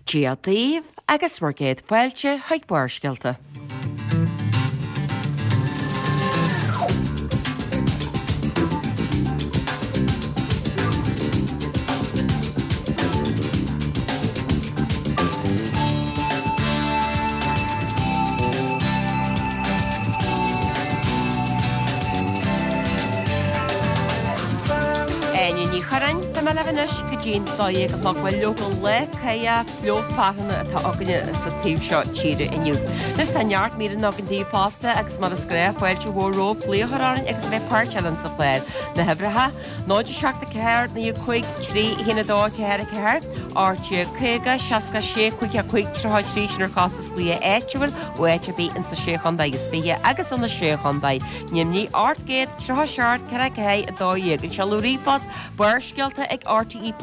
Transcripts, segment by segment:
Dia daoibh agus bhur gcéad fáilte chuig Barrscéalta. Áine Ní Churráin, tá mé libh anois go dtí'n 12 a chlog. Bhuel, leoga lá cáidheach fliuch fearthanna atá againne sa taobh seo tíre inniu. Anois tá neart míreanna againn daoibh fosta agus mar is gnách fáilte mhór romhaibh glaoch a chur orainn agus a bheith páirteach linn sa chlár. Na huimhreacha, 0 7 4 9 5 3 1 2 4 4, 18 50 66 55 33 sin ar chostas glaoch áitiúil ó áit ar bith ins na Sé Chontae is Fiche agus ó na Sé Chontae Nimhní 837 4 4 12. An seoladh ríomhphost, Barrscéalta ag rte.ie.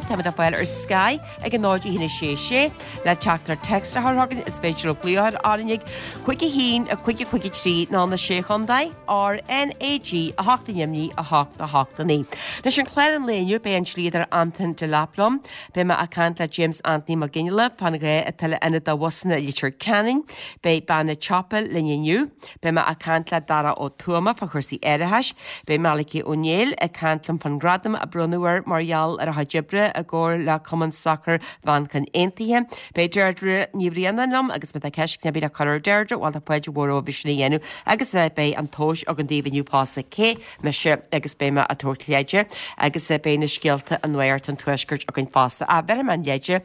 Táimid le fáil ar Sky ag a 0 1 6 6. Le teachtaireacht téacs a chur chugainn is féidir libh glaoch a chur orainn ag 5 1 5 5 3 nó na Sé Chontae, RnaG 8 i nDoimní 8 8 9. Anois ar chlár an lae inniu beidh an dlíodóir Antain Delap liom. Beidh mé ag caint le James Anthony Mac Fhionnghaile fán ghá atá le ionad do bhusanna i Leitir Ceanainn. Beidh bean an tsiopa linn inniu. Beidh mé ag caint le Dara Ó Tuama fá chúrsaí árachais. Beidh Malachy Ó Néill ag caint liom fán ghradam a bronnadh air mar gheall ar a chuid oibre i gcomhar le Cumann Sacair Mhanchain Aontaithe. Beidh Deirdre Ní Bhraonáin liom agus má tá ceist ar bith le cur ar Deirdre, bhuel tá fáilte mhór romhaibh sin a dhéanamh agus beidh an tomhas againn daoibh inniu fosta. Cé mise agus beidh mé ag tabhairt leide agus beidh na scéalta i Nuacht an Tuaiscirt againn fosta. Ach bhéarfaidh mé an leide.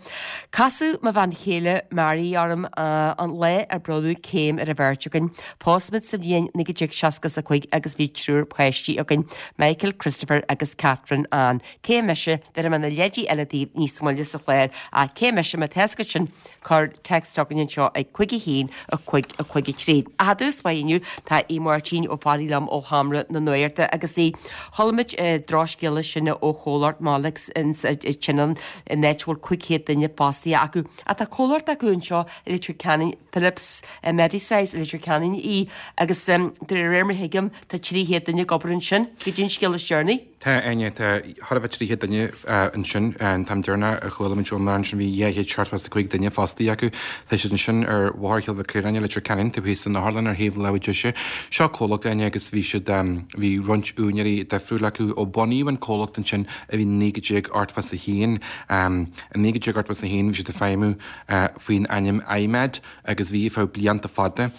Casadh mo bhean chéile Mary orm an lá ar bronnadh céim ar an bheirt againn. Phós muid sa bhliain 1965 agus bhí triúr páistí againn, Michael, Christopher agus Catherine Ann. Cé mise? Bhéarfaidh mé na leidí eile daoibh níos moille sa chlár. Ach cé mise má tá a fhios agat sin? Cuir text chugainn anseo ag 5 1 5 5 3. Ach i dtús báire inniu tá Aodh Máirtín Ó Fearraigh liom ó Sheomra na Nuachta agus a chuala muid drochscéala sin ó chomhlacht Molex sa tSionainn in áit a bhfuil 500 duine fostaithe acu. Ach tá comhlacht acu anseo i Leitir Ceanainn, Philips Medisize i Leitir Ceanainn í agus de réir mar a thuigim tá 300 duine ag obair ansin. Goidé an scéal is deireanaí. Tá, Áine, tá chóir a bheith 300 duine ansin. An t-am deireanach a chuala muid ón ansin bhí 275 duine fostaithe acu. Tá siad ansin ar Bhóthar Chill Mhic Caoráin i Leitir Ceanainn, taobh thíos den otharlann ar thaobh láimhe deise. Seo comhlacht, Áine, agus bhí siad, bhí roinnt úinéirí difriúla acu ó bunaíodh an comhlacht ansin i 1981. I 1981 bhí siad ag feidhmiú faoin ainm I-Med agus bhí ar feadh blianta fada.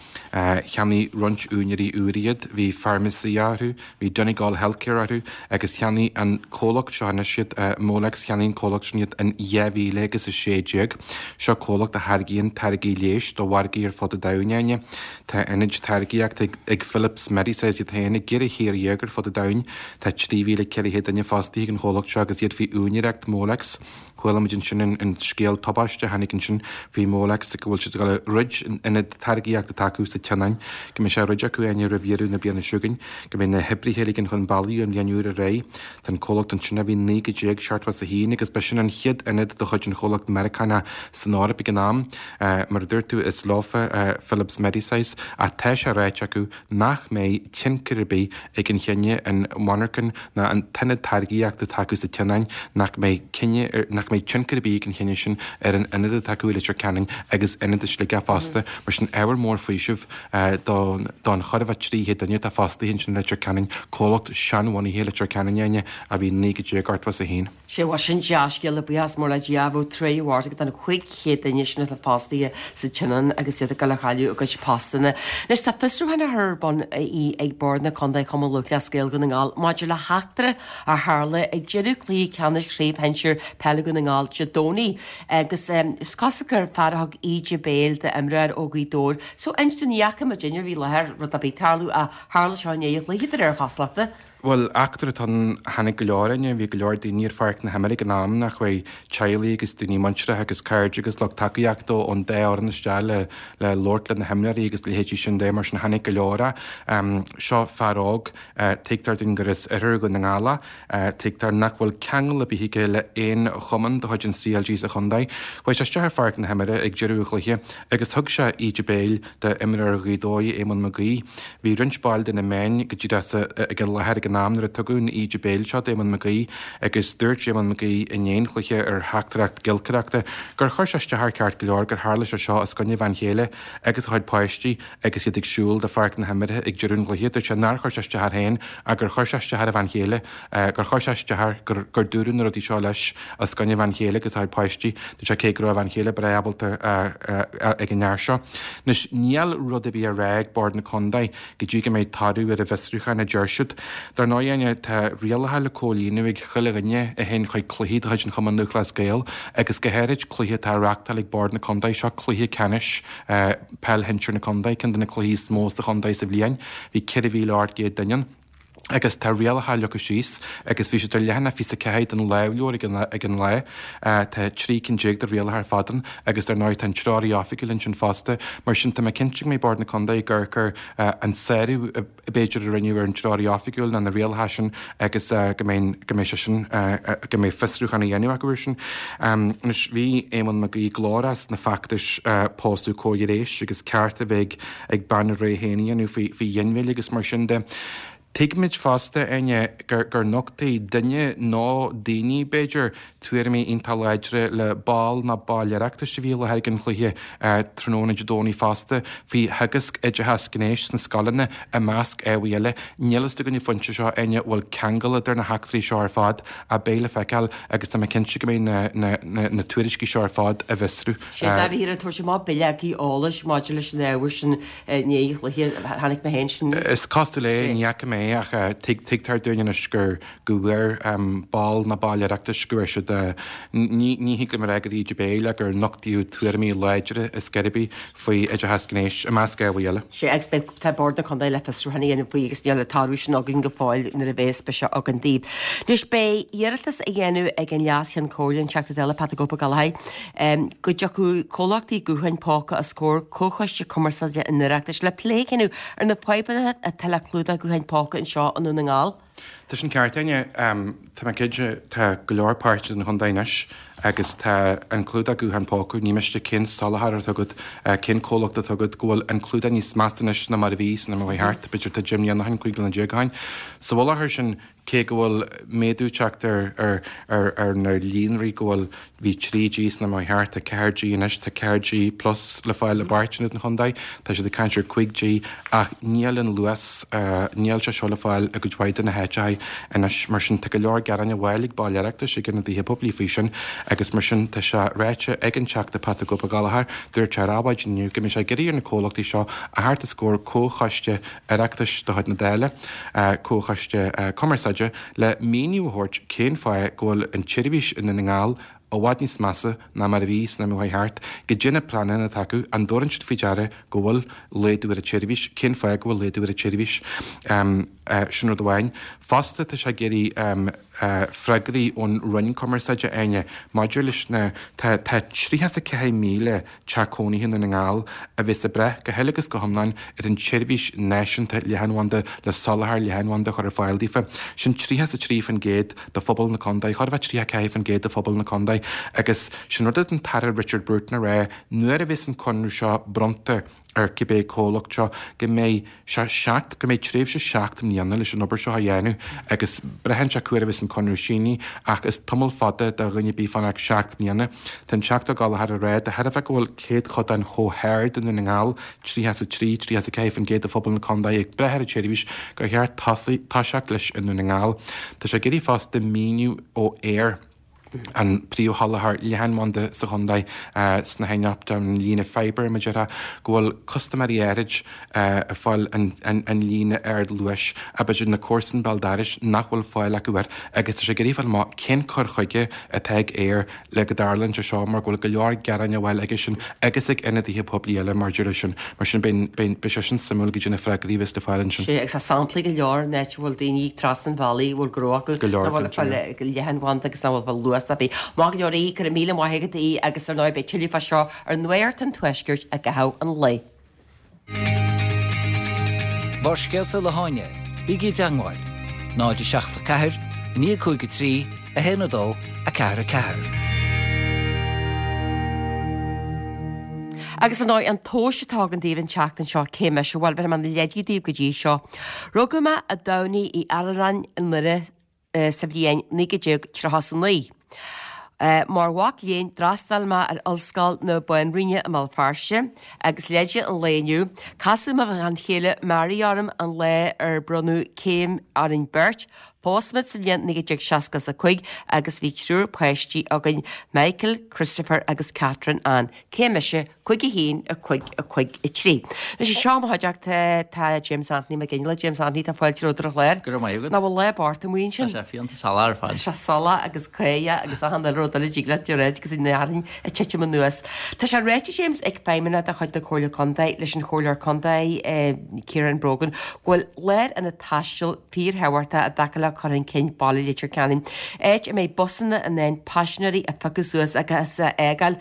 Cheannaigh roinnt úinéirí úra iad, bhí Pharmacia orthu, bhí Donegal Healthcare orthu agus cheannaigh an comhlacht seo anois iad, Molex, cheannaigh an comhlacht sin iad in 2000 agus 16. Seo comhlacht a tháirgíonn táirgí leighis do mhargaí ar fud an domhain, Áine. Tá ionaid táirgíochta ag Philips Medisize iad féin i gceithre thír dhéag ar fud an domhain. Tá 3,400 duine fostaithe ag an chomhlacht seo agus iad faoi úinéireacht Molex. Chuala muid ansin an scéal tubaiste a tháinig ansin faoi Molex go bhfuil siad ag dul a dhruid an ionad táirgíochta atá acu sa tSionainn, go mbeidh sé á dhruid acu Áine roimh dheireadh na bliana seo chugainn, go mbeidh na hoibrithe a ligean chun bealaigh ón bhliain úr ar aghaidh. Tá an comhlacht ansin ó bhí 1971 agus b'shin an chéad ionad de chuid an chomhlacht Meiriceánach san Eoraip ag an am. Mar a dúirt tú, is leofa Philips Medisize ach tá sé ráite acu nach mbeidh tionchar ar bith ag an chinneadh an mhonarchan ná an t-ionad táirgíochta atá acu sa tSionainn, nach mbeidh cinneadh, nach mbeidh tionchar ar bith ag an chinneadh sin ar an ionad atá acu i Leitir Ceanainn agus ionad i Sligeach fosta. Mar sin, ábhar mór faoisimh don don chóir a bheith 300 duine atá fostaithe ansin i Leitir Ceanainn, comhlacht seanbhunaithe i Leitir Ceanainn, Áine, a bhí 1981. Sea, bhuel sin dea-scéala, buíochas mór le Dia, bheadh trua mhór agat don 500 duine sin atá fostaithe sa tSionainn agus iad ag dul a chailleadh a gcuid postanna. Anois tá fiosrúchán á chur ar bun ag Bord na Contae Chumann Lúthchleas Gael Dhún na nGall maidir le heachtra a tharla ag deireadh chluiche ceannais Chraobh Shinsir Peile Dhún na nGall Dé Domhnaigh agus is cosúil gur fear a thug íde béil d'imreoir ó Ghaoth Dobhair. So inis dúinn, ní fhaca muid duine a bhí i láthair rud ar bith tarlú ach tharla seo i ndiaidh an chluiche de réir chosúlachta. Bhuel, eachtra atá ann, tháinig go leor againne, bhí go leor daoine ar pháirc na himeartha ag an am, nach raibh teaghlaigh agus daoine muinteartha agus cairde agus lucht tacaíochta ón dá fhoireann isteach le le labhairt le na himreoirí agus leithéidí sin de, mar sin tháinig go leor. Seo fear óg, tuigtear dúinn gur as oirthear Dhún na nGall é, tuigtear nach bhfuil ceangal ar bith aige le aon chumann de chuid an CLG sa chontae. Chuaigh sé isteach ar pháirc na himeartha ag deireadh an chluiche agus thug sé íde béil d'imreoir Ghaoth Dobhair, Éamonn Mag Aoidh. Bhí roinnt baill de na meáin go díreach sa ag an láthair ag an. an am nuair a tugadh an íde béil seo d'Éamonn McGee agus dúirt Éamonn McGee i ndiaidh an chluiche ar theachtaireacht giolcaireachta gur chuir sé isteach air ceart go leor gur tharla sé seo os coinne a bhean chéile agus a chuid páistí agus iad ag siúl de pháirc na himeartha ag deireadh an chluiche. Dúirt sé nár chuir sé isteach air féin ach gur chuir sé isteach ar a bhean chéile, gur chuir sé isteach air gur gur dúradh na rudaí seo leis os coinne a bhean chéile agus a chuid páistí. Dúirt sé cé go raibh a bhean chéile breá ábalta ag an fhear seo. Anois níl rud ar bith á rá ag Bord na Contae go dtí go mbeidh toradh ar an bhfiosrúchán, a deir siad. Dar ndóigh, Áine, tá rialacha le comhlíonadh ag chuile dhuine a théann chuig cluichí de chuid an Chumann Lúthchleas Gael agus go háirid cluiche atá á reachtáil ag Bord na Contae, seo cluiche ceannais Peil Shinsir na Contae, ceann de na cluichí is mó sa chontae sa bhliain. Bhí 4,800 duine ann. Agus tá rialacha leagtha síos agus bhí siad ar leathanach 24 den lámhleabhar ag an lá. Tá 13 cinn de rialacha ar fad ann agus dar ndóigh tá an treoraí oifigiúil ansin fosta. Mar sin tá mé cinnte go mbeidh Bord na Contae ag amharc ar an sárú a b'fhéidir a rinneadh ar an treoraí oifigiúil nó na rialacha sin agus go mbeidh go mbeidh sé sin go mbeidh fiosrúchán á dhéanamh acu air sin. Anois bhí Éamonn Mac Aoidh glórach sna feachtais pósadh comhghnéis agus cearta a bheith ag bean a rogha féin a dhéanamh faoi ghinmhilleadh agus mar sin de. Tuigimid fosta, Áine, gur nochtaigh duine nó daoine, b'fhéidir, tuairimí iontach láidre le ball nó baill Oireachtais a bhí i láthair ag an chluiche tráthnóna Dé Domhnaigh fosta faoi theagasc oideachas gnéis sna scoileanna, i measc ábhair eile. Níl fhios againn an phointe seo, Áine, an bhfuil ceangal idir na heachtraí seo ar fad ach beidh le feiceáil agus tá mé cinnte go mbeidh na tuairiscí seo ar fad á bhfiosrú. Sé dáiríre ag tabhairt amach bileogaí eolais maidir leis an ábhar sin i ndiaidh an chluiche. Chonaic mé féin sin. Is cosúil é, ní fhaca mé é ach tuigtear dúinn anois gur go bhfuair ball nó baill Oireachtais go bhfuair siad, ní thig liom a rá gur íde béil ach gur nochtaíodh tuairimí láidre is gairbí faoi oideachas gnéis, i measc ábhair eile. Sé agus beidh, tá Bord na Contae le fiosrúchán a dhéanamh faoi agus níl an toradh sin againn go fóill nuair a bheas beidh sé againn daoibh. Anois beidh iarratas á dhéanamh ag an Leas-Cheann Comhairle, an Teachta Dála Pat the Cope Ó Gallchóir, go dtiocfadh comhlachtaí gutháin póca os comhair Comhchoiste Cumarsáide an Oireachtais le plé a dhéanamh ar na fadhbanna atá le clúdach gutháin póca anseo i nDún na nGall. Tá sin ceart, Áine. Tá mé cinnte, tá go leor páirteanna den chontae anois agus tá an clúdach guthán póca, ní miste cén soláthar atá agat, cén comhlacht atá agat, go bhfuil an clúdach níos measa anois ná mar a bhí san am a chuaigh thart, b'fhéidir tá 10 mbliana ó shin, 15 bliana ó shin. Sa mhullach air sin, cé go bhfuil méadú teacht ar ar na líonraí, go bhfuil, bhí 3G san am a chuaigh thart, tá 4G anois, tá 4G plus le fáil i bpáirteanna den chontae, tá siad ag caint ar 5G ach níl an luas, níl sé seo le fáil i gcuid mhaith de na háiteacha anois. Mar sin tá go leor gearáin á bhfáil ag baill Oireachtais, ag ionadaithe poiblí faoi sin agus mar sin tá sé ráite ag an Teachta Pat the Cope Ó Gallchóir, dúirt sé ar Adhmhaidin inniu go mbeidh sé ag iarraidh ar na comhlachtaí seo a theacht os comhair comhchoiste Oireachtais de chuid na Dála, Comhchoiste Cumarsáide, le míniú a thabhairt cén fáth go bhfuil an tseirbhís i nDún na nGall i bhfad níos measa ná mar a bhí san am a chuaigh thart, goidé na pleananna atá acu, an dtabharann siad faoi deara go bhfuil laghdú ar an tseirbhís, cén fáth go bhfuil laghdú ar an tseirbhís. Sin rud amháin. Fosta tá sé ag iarraidh freagraí ón Roinn Cumarsáide, Áine, maidir leis na, tá 34,000 teach cónaithe i nDún na nGall a bheas ag brath go huile agus go hiomlán ar an tseirbhís náisiúnta leathanbhanda le soláthar leathanbhanda a chur ar fáil daofa. Sin 33% de phobal na contae, chóir a bheith 34% de phobal na contae agus sin rud a an tAire Richard Bruton a rá nuair a bheas an conradh seo bronnta ar cibé comhlacht seo go mbeidh sé seacht, go mbeidh tréimhse 7 mbliana leis an obair seo a dhéanamh agus braitheann sé cá huair a bheas an conradh sínithe ach is tamall fada do dhuine ar bith fanacht 7 mbliana. Tá an Teachta Ó Gallchóir ag rá de thairbhe go bhfuil céadchodán chomh hard i nDún na nGall, 33, 34% de phobal na contae ag brath ar an tseirbhís, gur cheart toiseacht leis i nDún na nGall. Tá sé ag iarraidh fosta míniú ó Eir. an príomhsholáthar leathanbhanda sa chontae sna háin optach, an líne fibre, mar a déarfá, go bhfuil custaiméirí áirid ag fáil an líne ardluais ach b'fhéidir na comharsain béal dorais nach bhfuil fáil acu air agus tá sé ag iarraidh fáil amach cén cur chuige atá ag Eir le go dtarlaíonn sé seo mar go bhfuil go leor gearáin á bhfáil aige sin agus ag ionadaithe poiblí eile maidir leis sin. Mar sin beidh sé sin suimiúil goidé na freagraí a bheas le fáil ansin. Sea, agus tá samplaí go leor in áit a bhfuil daoine trasna an bhealaigh a bhfuil gnó acu Go leor, nach bhfuil ag fáil leathanbhanda agus nach bhfuil ag fáil luas ar bith. Maith go leor Aodh, go raibh míle maith agat Aodh agus ar ndóigh beidh tuilleadh fá seo ar Nuacht an Tuaiscirt i gcaitheamh an lae. Barrscéalta le hÁine, bígí i dteangmháil, 0 7 4 9 5 3 1 2 4 4. Agus ar ndóigh, an tomhas atá againn daoibh an tseachtain seo, cé mise? Bhuel, bhéarfaidh mé na leidí daoibh go dtí seo. Rugadh mé i dTamhnaigh Uí Araráin i nDoire sa bhliain 1939. Mar mhac léinn, d'fhreastail mé ar Ollscoil na Banríona i mBéal Feirste, agus leide an lae inniu, casadh mo bhean chéile Mary orm an lá ar bronnadh céim orainn beirt, Phós muid sa bhliain 1965 agus bhí triúr páistí againn, Michael, Christopher agus Catherine Ann. Cé mise? 5 1 5 5 3. Anois anseo i mo chuideachta tá James Anthony Mac Fhionnghaile. James Anthony, tá fáilte romhat ar an chlár. Go raibh maith agat. Nach bhfuil lá bocht amuigh ansin? Tá sé fiánta salach ar fad. Tá sé salach agus caoch agus achan uile rud eile a dtig leat a rá agus an fhearthainn ag titim anuas. Tá sé ráite, James, ag feidhmeannach de chuid na Comhairle Contae leis an Chomhairleoir Contae, Ciarán Brogan, go bhfuil lárionad taistil fíorthábhachtach i dtaca le cur chun cinn baile Leitir Ceanainn, áit a mbeidh busanna in ann paisinéirí a phiocadh suas agus a fhágáil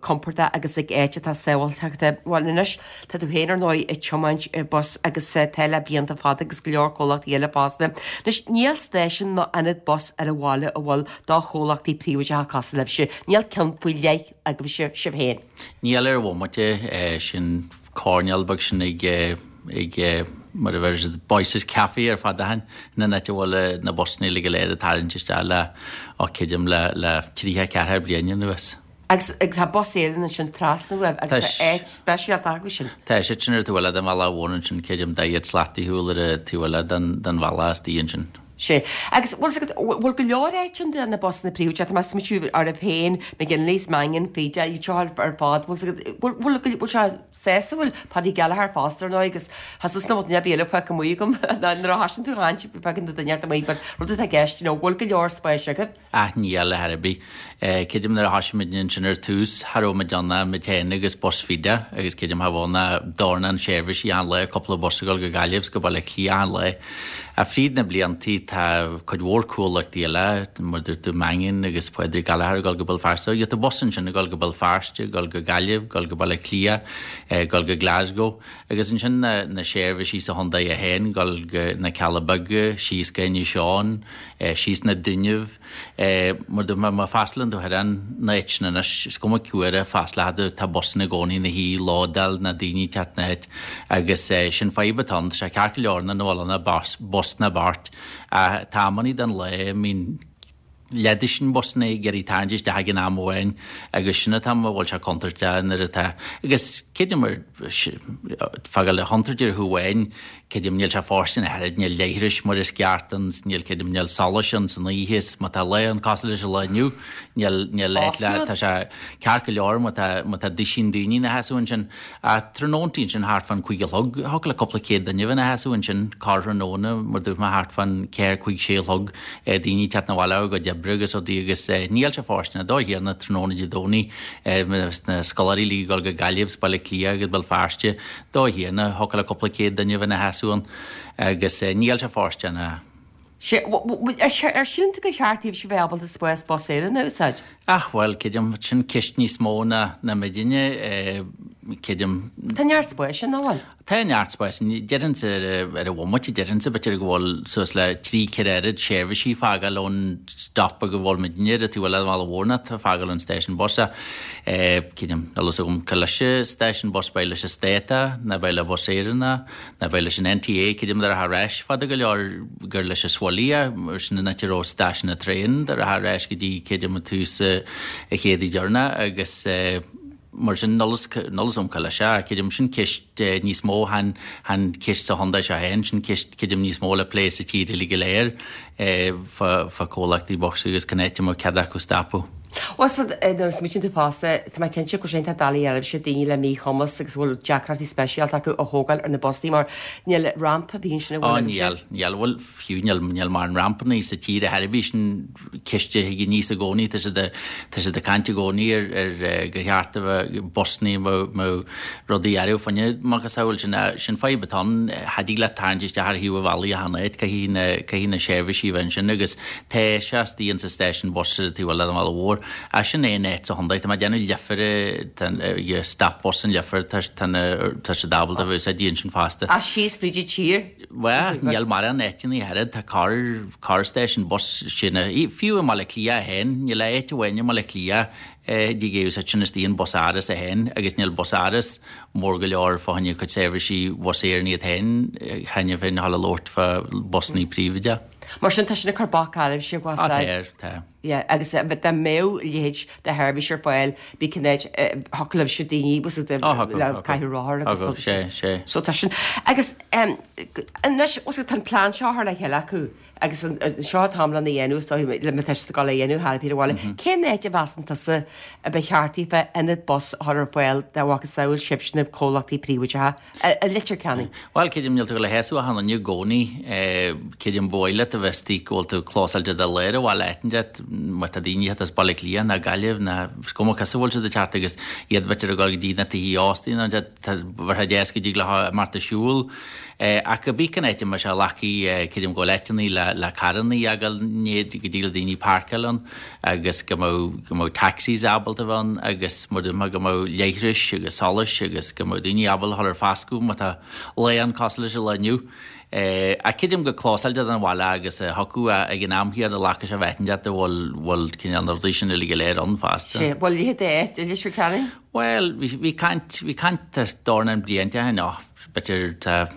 compordach agus ag áit atá sábháilte. Bhuel anois, tá tú féin ar ndóigh ag tiomáint bus agus tá le blianta fada agus go leor comhlachtaí eile fosta. Anois, níl stáisiún nó ionad bus ar an bhaile a bhfuil do chomhlachtaí príobháideacha cosúil libhse. Níl ceann faoi leith agaibhse, sibh féin. Níl ar an bhomaite, sin coirnéal beag sin ag ag mar a bheir siad Boyce's Café ar fad achan in an áit a bhfuil na busanna uilig go léir ag tarraingt isteach le ó creidim le le 34 bliain anuas. Agus agus tá Bus Éireann ansin trasna uaibh agus tá áit speisialta acu sin. Tá siad sin ar an taobh eile den bhealach mhór ansin creidim 40 slat ar shiúl ar an taobh eile den den bhealach istigh ansin. Sea. Agus bhfuil 's agat, bhfuil go leor áit ann do na busanna príobháideacha, tá mé ag smaoitiú oraibh féin, McGinley's, Mangan, Feda, iad seo ar fad, bhfuil 's agat, bhfuil, bhfuil, bhfuil sé sásúil, Paddy Gallagher fosta ar ndóigh agus tá suas na bhfuil neamh eile fágtha amuigh agam nuair a thosaíonn tú a chaint fágann tú duine amuigh but rud atá i gceist, you know, bhfuil go leor spáis agaibh? Ach níl ar chor ar bith. Creidim nuair a thosaigh muid ansin ar tús, cha raibh muid ann ach muid féin agus bus Feda agus creidim cha bheadh ann ach dornán seirbhísí achan lá, cúpla bus ag dul go Gaillimh 's go Baile Átha Cliath achan lá. Ach fríd na bliantaí tá cuid mhór cuallachtaí eile, mar dúirt tú Mangan agus Pádraig Gallagher ag dul go Béal Feirste. Gheobhaidh tú bus ansin ag dul go Béal Feirste, ag dul go Gaillimh, ag dul go Baile Átha Cliath, ag dul go Glasgow agus ansin na seirbhísí sa chontae é féin, ag dul go na Cealla Beaga, síos go Inis Eoghain, síos na Dúnaibh. Mar do má freastalaíonn tú ar an áit sin anois, is cuma cá huair a freastalóidh tú, tá busanna i gcónaí ina shuí, lódáil na daoine ag teacht na háit agus sin fadhb atá ann. Tá sé ceart go leor nuair nach bhfuil ann ach bus ná beirt ach tá amannaí den lá a mbíonn leathdusaen busanna ag iarraidh tarraingt isteach ag an am amháin agus sin an t-am a bhfuil sé contúirteach nuair atá agus creidim ar fágáil le chontúirt ar thaobh amháin Creidim, níl sé fóirsteanach ach oiread, níl leithris mar is ceart ann, níl, creidim, níl solais ann san oíche is má tá lá ann cosúil leis an lá inniu, níl, níl áit le, tá sé ceart go leor má tá, má tá duisín daoine ina sheasamh ansin. Ach tráthnóntaí ansin thart fán cúig a chlog, thiocfadh le cúpla céad duine a bheith ina sheasamh ansin, corrthráthnóna mar dúirt mé thart fán ceathair, cúig, sé a chlog, daoine ag teacht 'na bhaile ó a gcuid oibre agus rudaí agus níl sé fóirsteanach dóigh thiarna tráthnóna Dé Domhnaigh, na scoláirí uilig ag dul go Gaillimh 's Baile Átha Cliath agus Béal Feirste, Dóigh chéanna, thiocfadh le cúpla céad duine a bheith ina sheasamh ann agus níl sé fóirsteanach. Sea, ar shíl tú gur cheart daoibhse bheith ábalta spás Bus Éireann a úsáid? Ach, bhuel, creidim, sin ceist níos mó ná ná muidinne, creidim. Tá neart spáis ann, nach bhfuil? Tá neart spáis ann. Déarfainnse ar an bhomaite, déarfainnse b'fhéidir go bhfuil suas le trí, ceithre oiread seirbhísí ag fágáil ón stop beag a bhfuil muidinne ar an taobh eile den bhealach mhór ná tá ag fágáil ón stáisiún bus. Creidim, níl a fhios agam cé leis an stáisiún bus, ab é leis an Stát é, nó ab é le Bus Éireann é, nó ab é leis an NTA, creidim dá rachfá ar ais fada go leor gur leis an Swilly é, mar sin an áit a raibh stáisiún na traein, dá rachfá ar ais go dtí creidim an tús an chéad deireanach agus mar sin níl a fhios agam cé leis é, creidim sin ceist níos mó chan ceist sa chontae seo féin, sin ceist creidim níos mó le plé sa tír uilig go léir. fá comhlachtaí bus agus cén áit a mbeadh cead acu stopadh. Bhuel, so, nuair a smaoitíonn tú fosta, tá mé cinnte go bhfuil sé iontach doiligh oraibhse daoine le míchumas agus a bhfuil deacrachtaí speisialta acu a thógáil ar na busanna mar níl rampa ar bith ansin an bhfuil Ó, níl, níl, bhuel, fiú níl, níl mórán rampanna sa tír ar chor ar bith, sin ceist a thig aníos i gcónaí, tá siad a, tá siad ag caint i gcónaí ar, ar gur cheart a bheith busanna a mbeadh, mbeadh rudaí orthu fá choinne macasamhail sin, sin fadhb atá ann. Cha dtig leat tarraingt isteach ar thaobh an bhealaigh achan áit, caithfidh na, caithfidh na seirbhísí a bheith ansin agus tá sé istigh insa stáisiún bus ar an taobh eile den bhealach mhór. Ach sin é an áit sa chontae, tá mé ag déanamh Leifear, tá an stop bus in Leifear, tá, tá na, tá siad ábalta a bheith úsáidte ansin fosta. Ach síos fríd an tír? Bhuel, níl mórán áiteanna ach oiread, tá corr, corr stáisiún bus sin, fiú i mBaile Átha Cliath féin, níl áit amháin i mBaile Átha Cliath. Dtig é úsáid sin istigh an bus Áras é féin agus níl bus Áras mór go leor fá choinne cuid seirbhísí Bhus Éireann iad féin cheana féin a dhul a labhairt fá busannaí príobháideacha. Mar sin tá sin ag cur bac oraibhse a Tá, tá. Yeah, agus dá mbeadh a leithéid de sheirbhís ar fáil, bhí cinéad, thiocfadh libhse daoine, bhfuil a fhios agat, le caitheamh rothar agus Thiocfadh, sé, sé. So tá sin, agus anois, bhfuil a fhios agat, tá an plean seo á chur le chéile acu agus seo an t-am lena dhéanamh, is dóigh, le má tá siad ag dul a dhéanamh thar a bhaile. Cén áit a mheasann tusa a ba cheart daofa ionad bus a chur ar fáil dá mhacasamhail sibhse na comhlachtaí príobháideacha i Leitir Ceanainn? Bhuel, creidim, níl tú ag dul a shásamh achan duine i gcónaí. Creidim, ba mhaith leat a bheith istigh go bhfuil tú clósáilte do lár an bhaile áit inteacht, má tá daoine ag teacht as Baile Átha Cliath ná Gaillimh ná is cuma cá as a bhfuil siad ag teacht agus iad b'fhéidir ag dul go dtí na tithe óstaí nó tá bheadh sé deas go dtig leo imeacht ag siúl. Ach cibé cén áit a mbeadh sé leagtha, creidim go bhfuil áiteanna le le carrannaí a fhágáil go dtig le daoine páirceáil ann agus go mbeadh go mbeadh taxis ábalta a bheith ann agus mar dúirt mé go mbeadh leithris agus solais agus go mbeadh daoine ábalta a dhul ar foscadh má tá lá ann cosúil leis an lá inniu. Ach creidim go clósáilte don bhaile agus a thiocfadh ag an am chéanna leaca sé bheith inteacht a bhfuil bhfuil cineál na rudaí sin uilig go léir ann fosta. Sé, bhfuil a leithéid d'áit i Leitir Ceanainn? Bhuel, bhí bhí caint bhí caint dornán blianta ó shin, b'fhéidir tá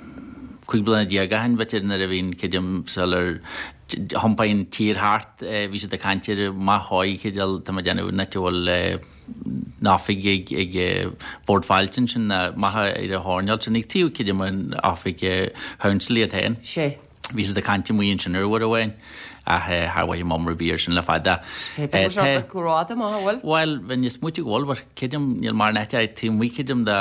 15 bliana ó shin b'fhéidir nuair a bhí an creidim sular thiompaigh an tír thart bhí siad ag caint ar maith dhóigh cineál tá mé ag déanamh an áit a bhfuil an oifig ag ag Bord Fáilte ansin maith ar an choirnéal sin ag taobh creidim an oifig council iad féin. Sé. Bhí siad ag caint amuigh ansin ar uair amháin ach char mhothaigh m'am ar bith air sin le fada. Tá sé go rófhada amach, an bhfuil? Bhuel, bheinn ag smaoitiú go bhfuil, but creidim níl mórán áite taobh amuigh creidim de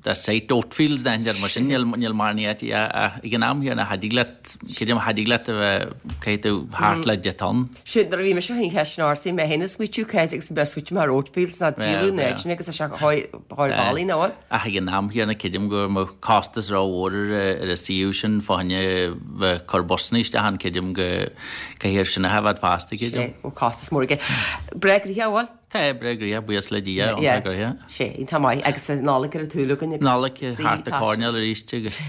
de site Oatfields nó aon rud mar sin, níl níl mórán áite ag an am chéanna cha dtig leat, creidim cha dtig leat a bheith, caithfidh tú thart le deich dtonn. Sin, nuair a bhí mise féin cheist an ársaí, mé féin ag smaoitiú cá háit agus mé ag smaoitiú mar Oatfields ná díoladh an áit sin agus tá sé chóir bailí nó bhfuil? Ach ag an am chéanna creidim go mbeadh costas rómhór ar an suíomh sin fá choinne bheith cur busanna isteach ann, creidim go caithfear sin a thaifead fosta, creidim. Sé, bhfuil costas mór aige. Breá gnoitheach, an bhfuil? Tá, breá gnoitheach, buíochas le Dia, iontach gnoitheach. Sé, iontach maith, agus an Nollaig ar an tsúil againn agus Nollaig thart an choirnéal arís agus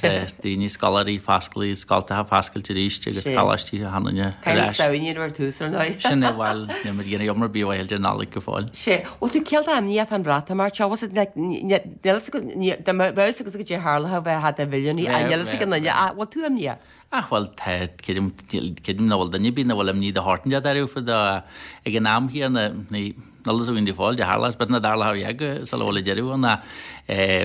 daoine, scoláirí, fosclaí, scoltacha foscailte arís agus coláistí achan duine ar ais. Caithfidh Samhain ar tús ar ndóigh. Sin é, bhuel, níl muid ag déanamh iomrá ar bith mhaith idir Nollaig go fóill. Sé, bhfuil tú cineál imníoch fán Bhreatimeacht seo, bhfuil siad, níl a fhios agat, dá mbeadh a fhios agat goidé a tharlódh bheifeá i do mhilliúnaí, níl a fhios ag aon duine, ach bhfuil tú imníoch? Ach bhuel, tá, creidim, creidim nach bhfuil duine ar bith nach bhfuil imní de shórt inteacht orthu fá dtaobh ach ag an am chéanna, ní, níl fhios againn go fóill, goidé a tharlós, b'fhéidir nach dtarlódh a dhath go sula bhfuil an deireadh ann ach eh,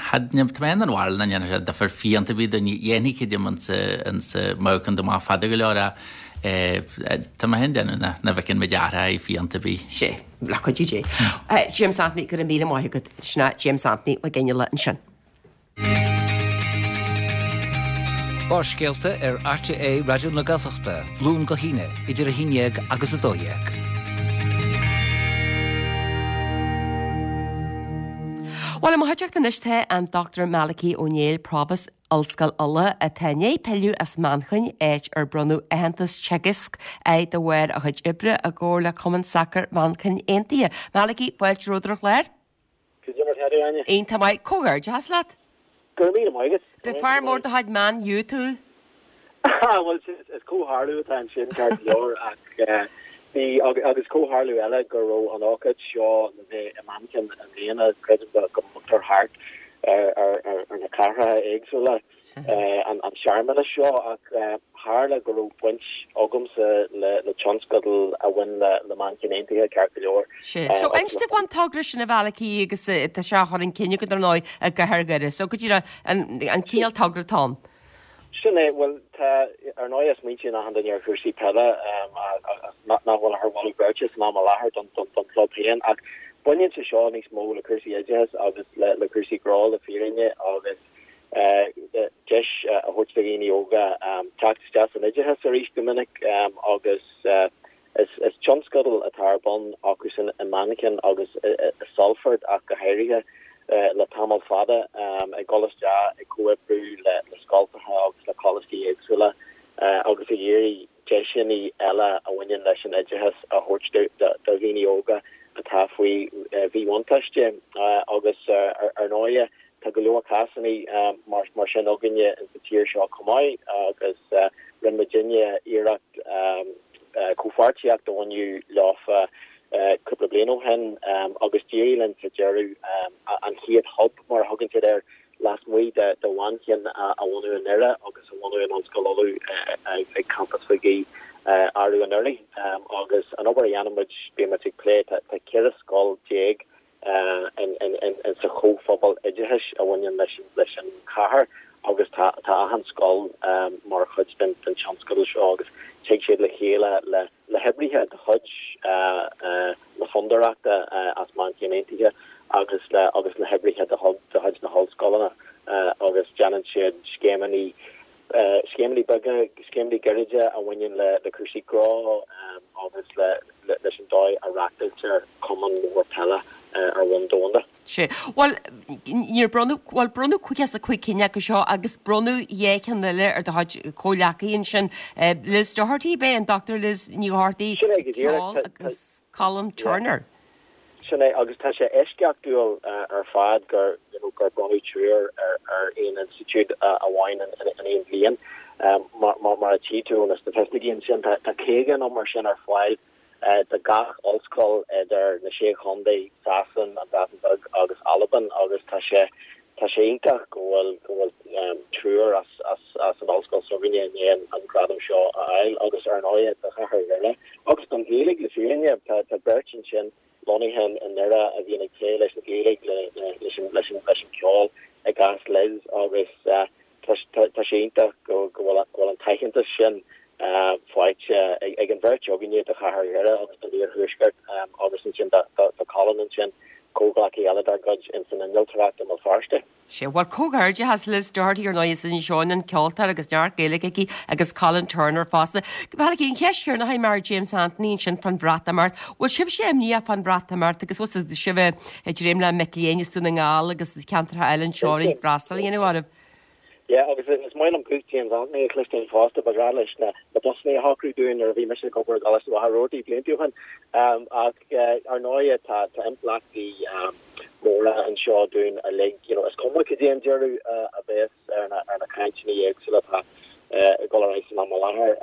had, tá mé den bharúil nach ndéanfaidh sé difear fiánta ar bith dúinn, dhéanfaidh creidim insa, insa mbeadh an amach fada go leor ach eh, tá mé féin ag déanamh nach, nach bhfeiceann muid athraithe fiánta ar bith. Sé, le cuidiú Dé. James Anthony, go raibh míle maith agat. Sin é James Anthony Mac Fhionnghaile ansin. Barrscéalta ar RTÉ Raidió na Gaeltachta, Luan go hAoine, idir 11 agus 12. Bhuel, i mo chuideachta anois tá an Dr Malachy Ó Néill, Provost Ollscoil Uladh, atá i ndiaidh pilleadh as Manchain, áit ar bronnadh aitheantas Teagasc air de bharr a chuid oibre i gcomhar le Cumann Sacair Mhanchain Aontaithe. Malachy, fáilte romhat ar an chlár. Cad é mar tá tú, Áine? Iontach maith. Comhghairdeachas leat. Go raibh míle maith agat. B'é fear mór de chuid Man U tú. Bhuel, is comhtharlú atá ansin, ceart go leor, ach bhí, agus comhtharlú eile go raibh an ócáid seo le bheith i Manchain i mbliana, creidim go mbogtar thart ar na cathracha éagsúla. an searmanas seo ach tharla go raibh baint agamsa le tionscadal a bhain le Manchain Aontaithe, ceart go leor. Sea. So inis dom fán togra sin a Mhalachy agus tá sé á chur chun cinn agat ar ndóigh i gcathair Dhoire. So go díreach an cineál togra atá ann. Sin é, bhuel tá, ar ndóigh smaointíonn achan duine ar chúrsaí peile nach bhfuil ach ar mholadh beirte san am i láthair don chlub féin ach baineann sé seo níos mó le cúrsaí oideachais agus le cúrsaí gnó le fírinne agus deis a thabhairt do dhaoine óga teacht isteach san oideachas arís go minic agus is tionscadal atá ar bun acusan i Manchain agus i Salford ach go háirithe le tamall fada ag dul isteach ag comhoibriú le scoltacha agus le coláistí éagsúla agus ag iarraidh deiseanna eile a bhaineann leis an oideachas a thabhairt do dhaoine óga atá faoi mhíbhuntáiste agus ar ndóighe Tá go leor cásanna mar sin againne insa tír seo chomh maith agus rinne muidinne iarracht comhpháirtíocht a bhunú leofa. cúpla bliain ó shin agus d'éirigh linn sa deireadh an chéad hub, mar a thugann siad air, lasmuigh de Mhanchain a bhunú i nDoire agus a bhunú in Ollscoil Uladh ag campas Mhig Aoidh arú anuraidh. Agus an obair a dhéanann muid, bíonn muid ag plé, tá 14 scoil in sa chomhphobal oideachais a bhaineann leis an chathair agus tá achan scoil mar chuid den tionscadal seo agus tig siad le chéile le le hoibrithe de chuid na Fondúireachta as Manchain Aontaithe agus le agus le hoibrithe de chuid na hollscoileanna agus déanann siad scéimeanna scéimeanna beaga, scéimeanna gairide a bhaineann le le cúrsaí gnó agus le leis an dóigh a reachtáiltear cumann mór peile ar bhonn domhanda. Sea. Bhuel, níor bronnadh, bhuel, bronnadh 55 cinn acu seo agus bronnadh 2 cheann eile ar do chuid comhghleacaithe ansin, Liz Doherty, ab é, an Dr Liz Ní Dhochartaigh, Sin é go díreach. ceol, agus Colin Turner. Sin é, agus tá sé eisceachtúil ar fad gur, you know, gur bronnadh triúr ar aon institiúid amháin in aon bhliain. Mar a tchí tú ó na staitisticí ansin, tá 50 nó mar sin ar fáil do gach ollscoil idir na Sé Chontae, Sasain, an Bhreatain Bheag agus Albain agus tá sé tá sé iontach go bhfuil go bhfuil triúr as as as an ollscoil s'againne i ndiaidh an gradam seo a fháil agus ar ndóigh do chathair Dhoire agus don Ghaeilge le fírinne tá tá beirt ansin lonnaithe i nDoire a bhíonn ag plé leis an Ghaeilge le leis an leis an leis an ceol i gcás Liz agus Tá sé iontach go bhfuil an t-aitheantas sin faighte ag an bheirt againne do chathair Dhoire agus don Iarthuaisceart agus ansin do Colin ansin, comhghleacaí eile dár gcuid ins an innealtóireacht i mBéal Feirste. Sea, bhuel, comhghairdeachas Liz Doherty ar ndóigh as Inis Eoghain, an ceoltóir agus neart Gaeilge aici agus Colin Turner fosta. Malachy, an cheist chéanna a chuir mé ar James Anthony ansin fán Bhreatimeacht. Bhfuil sibhse imníoch fán Bhreatimeacht agus bhfuil sibh ag dréim le mic léinn as Dún na nGall agus ceantracha eile anseo ag freastal a dhéanamh oraibh? Yeah, agus is maith liom guth James Anthony a chloisteáil fosta, ba bhreá leis na busanna a shocrú dúinn nuair a bhí mise ag obair i gColáiste Mhachaire Rabhartaigh blianta ó shin. Ach ar ndóigh tá impleachtaí móra anseo dúinn uilig, you know, is cuma cad é an deireadh a bheas ar na ar na cainteanna éagsúla atá ag dul ar aghaidh san am i láthair.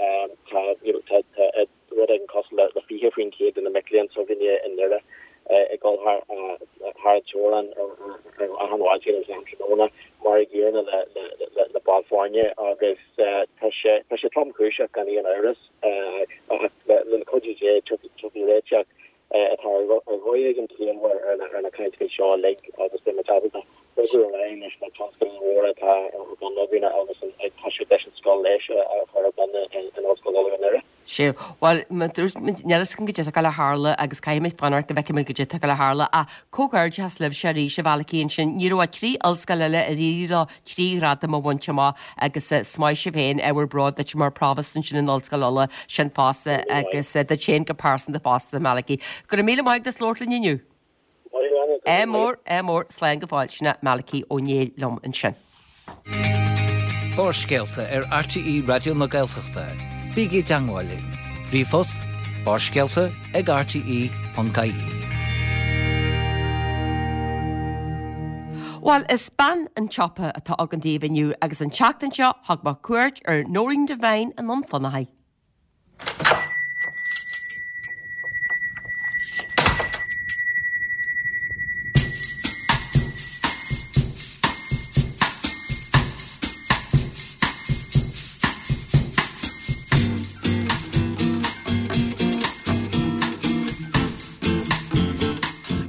Tá, you know, tá tá rud éigin cosúil le 20% de na mic léinn s'againne i nDoire ag dul thar an teorainn achan mhaidin agus achan tráthnóna, mar a gcéanna le baill foirne agus tá sé tá sé tromchúiseach gan aon amhras ach le cuidiú Dé tiocfaidh réiteach atá ar dhóigh éigin ciallmhar ar na cainteanna seo uilig agus beidh muid ábalta bogadh ar aghaidh leis na tionscadail mhóra atá ar bun againn agus ag toiseacht leis an scoil leighis a chur ar bun in Ollscoil Uladh i nDoire. Sea, bhuel, mar a dúirt muid, níl fhios againn goidé atá ag gabháil a tharlú agus caithfidh muid fanacht go bhfeicfidh muid goidé atá ag gabháil a tharlú ach comhghairdeachas libhse arís, a Mhalachy, ansin. Ní raibh ach 3 ollscoil eile ar éirigh leo 3 ghradam a bhaint amach agus is maith sibh féin, ábhar bróid duit mar Provost ansin in Ollscoil Uladh, sin fosta agus duit féin go pearsanta fosta, Malachy. Go raibh míle maith agat as labhairt linn inniu. Ádh mór, ádh mór, slán go fóill. Sin é Malachy Ó Néill liom ansin. Barrscéalta ar RTÉ Raidió na Gaeltachta. Bígí i dteangmháil linn. Ríomhphost, barrscéalta ag rte.ie. Bhuel, is bean an tsiopa atá againn daoibh inniu agus an tseachtain seo thug mé cuairt ar Nóirín Devine i nDún Fionnachaidh.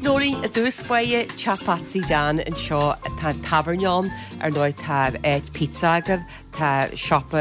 Nóirín, i dtús báire, Teach Phatsy Dan anseo, tá an tábhairne ann, ar ndóigh tá áit pizza agaibh, Tá siopa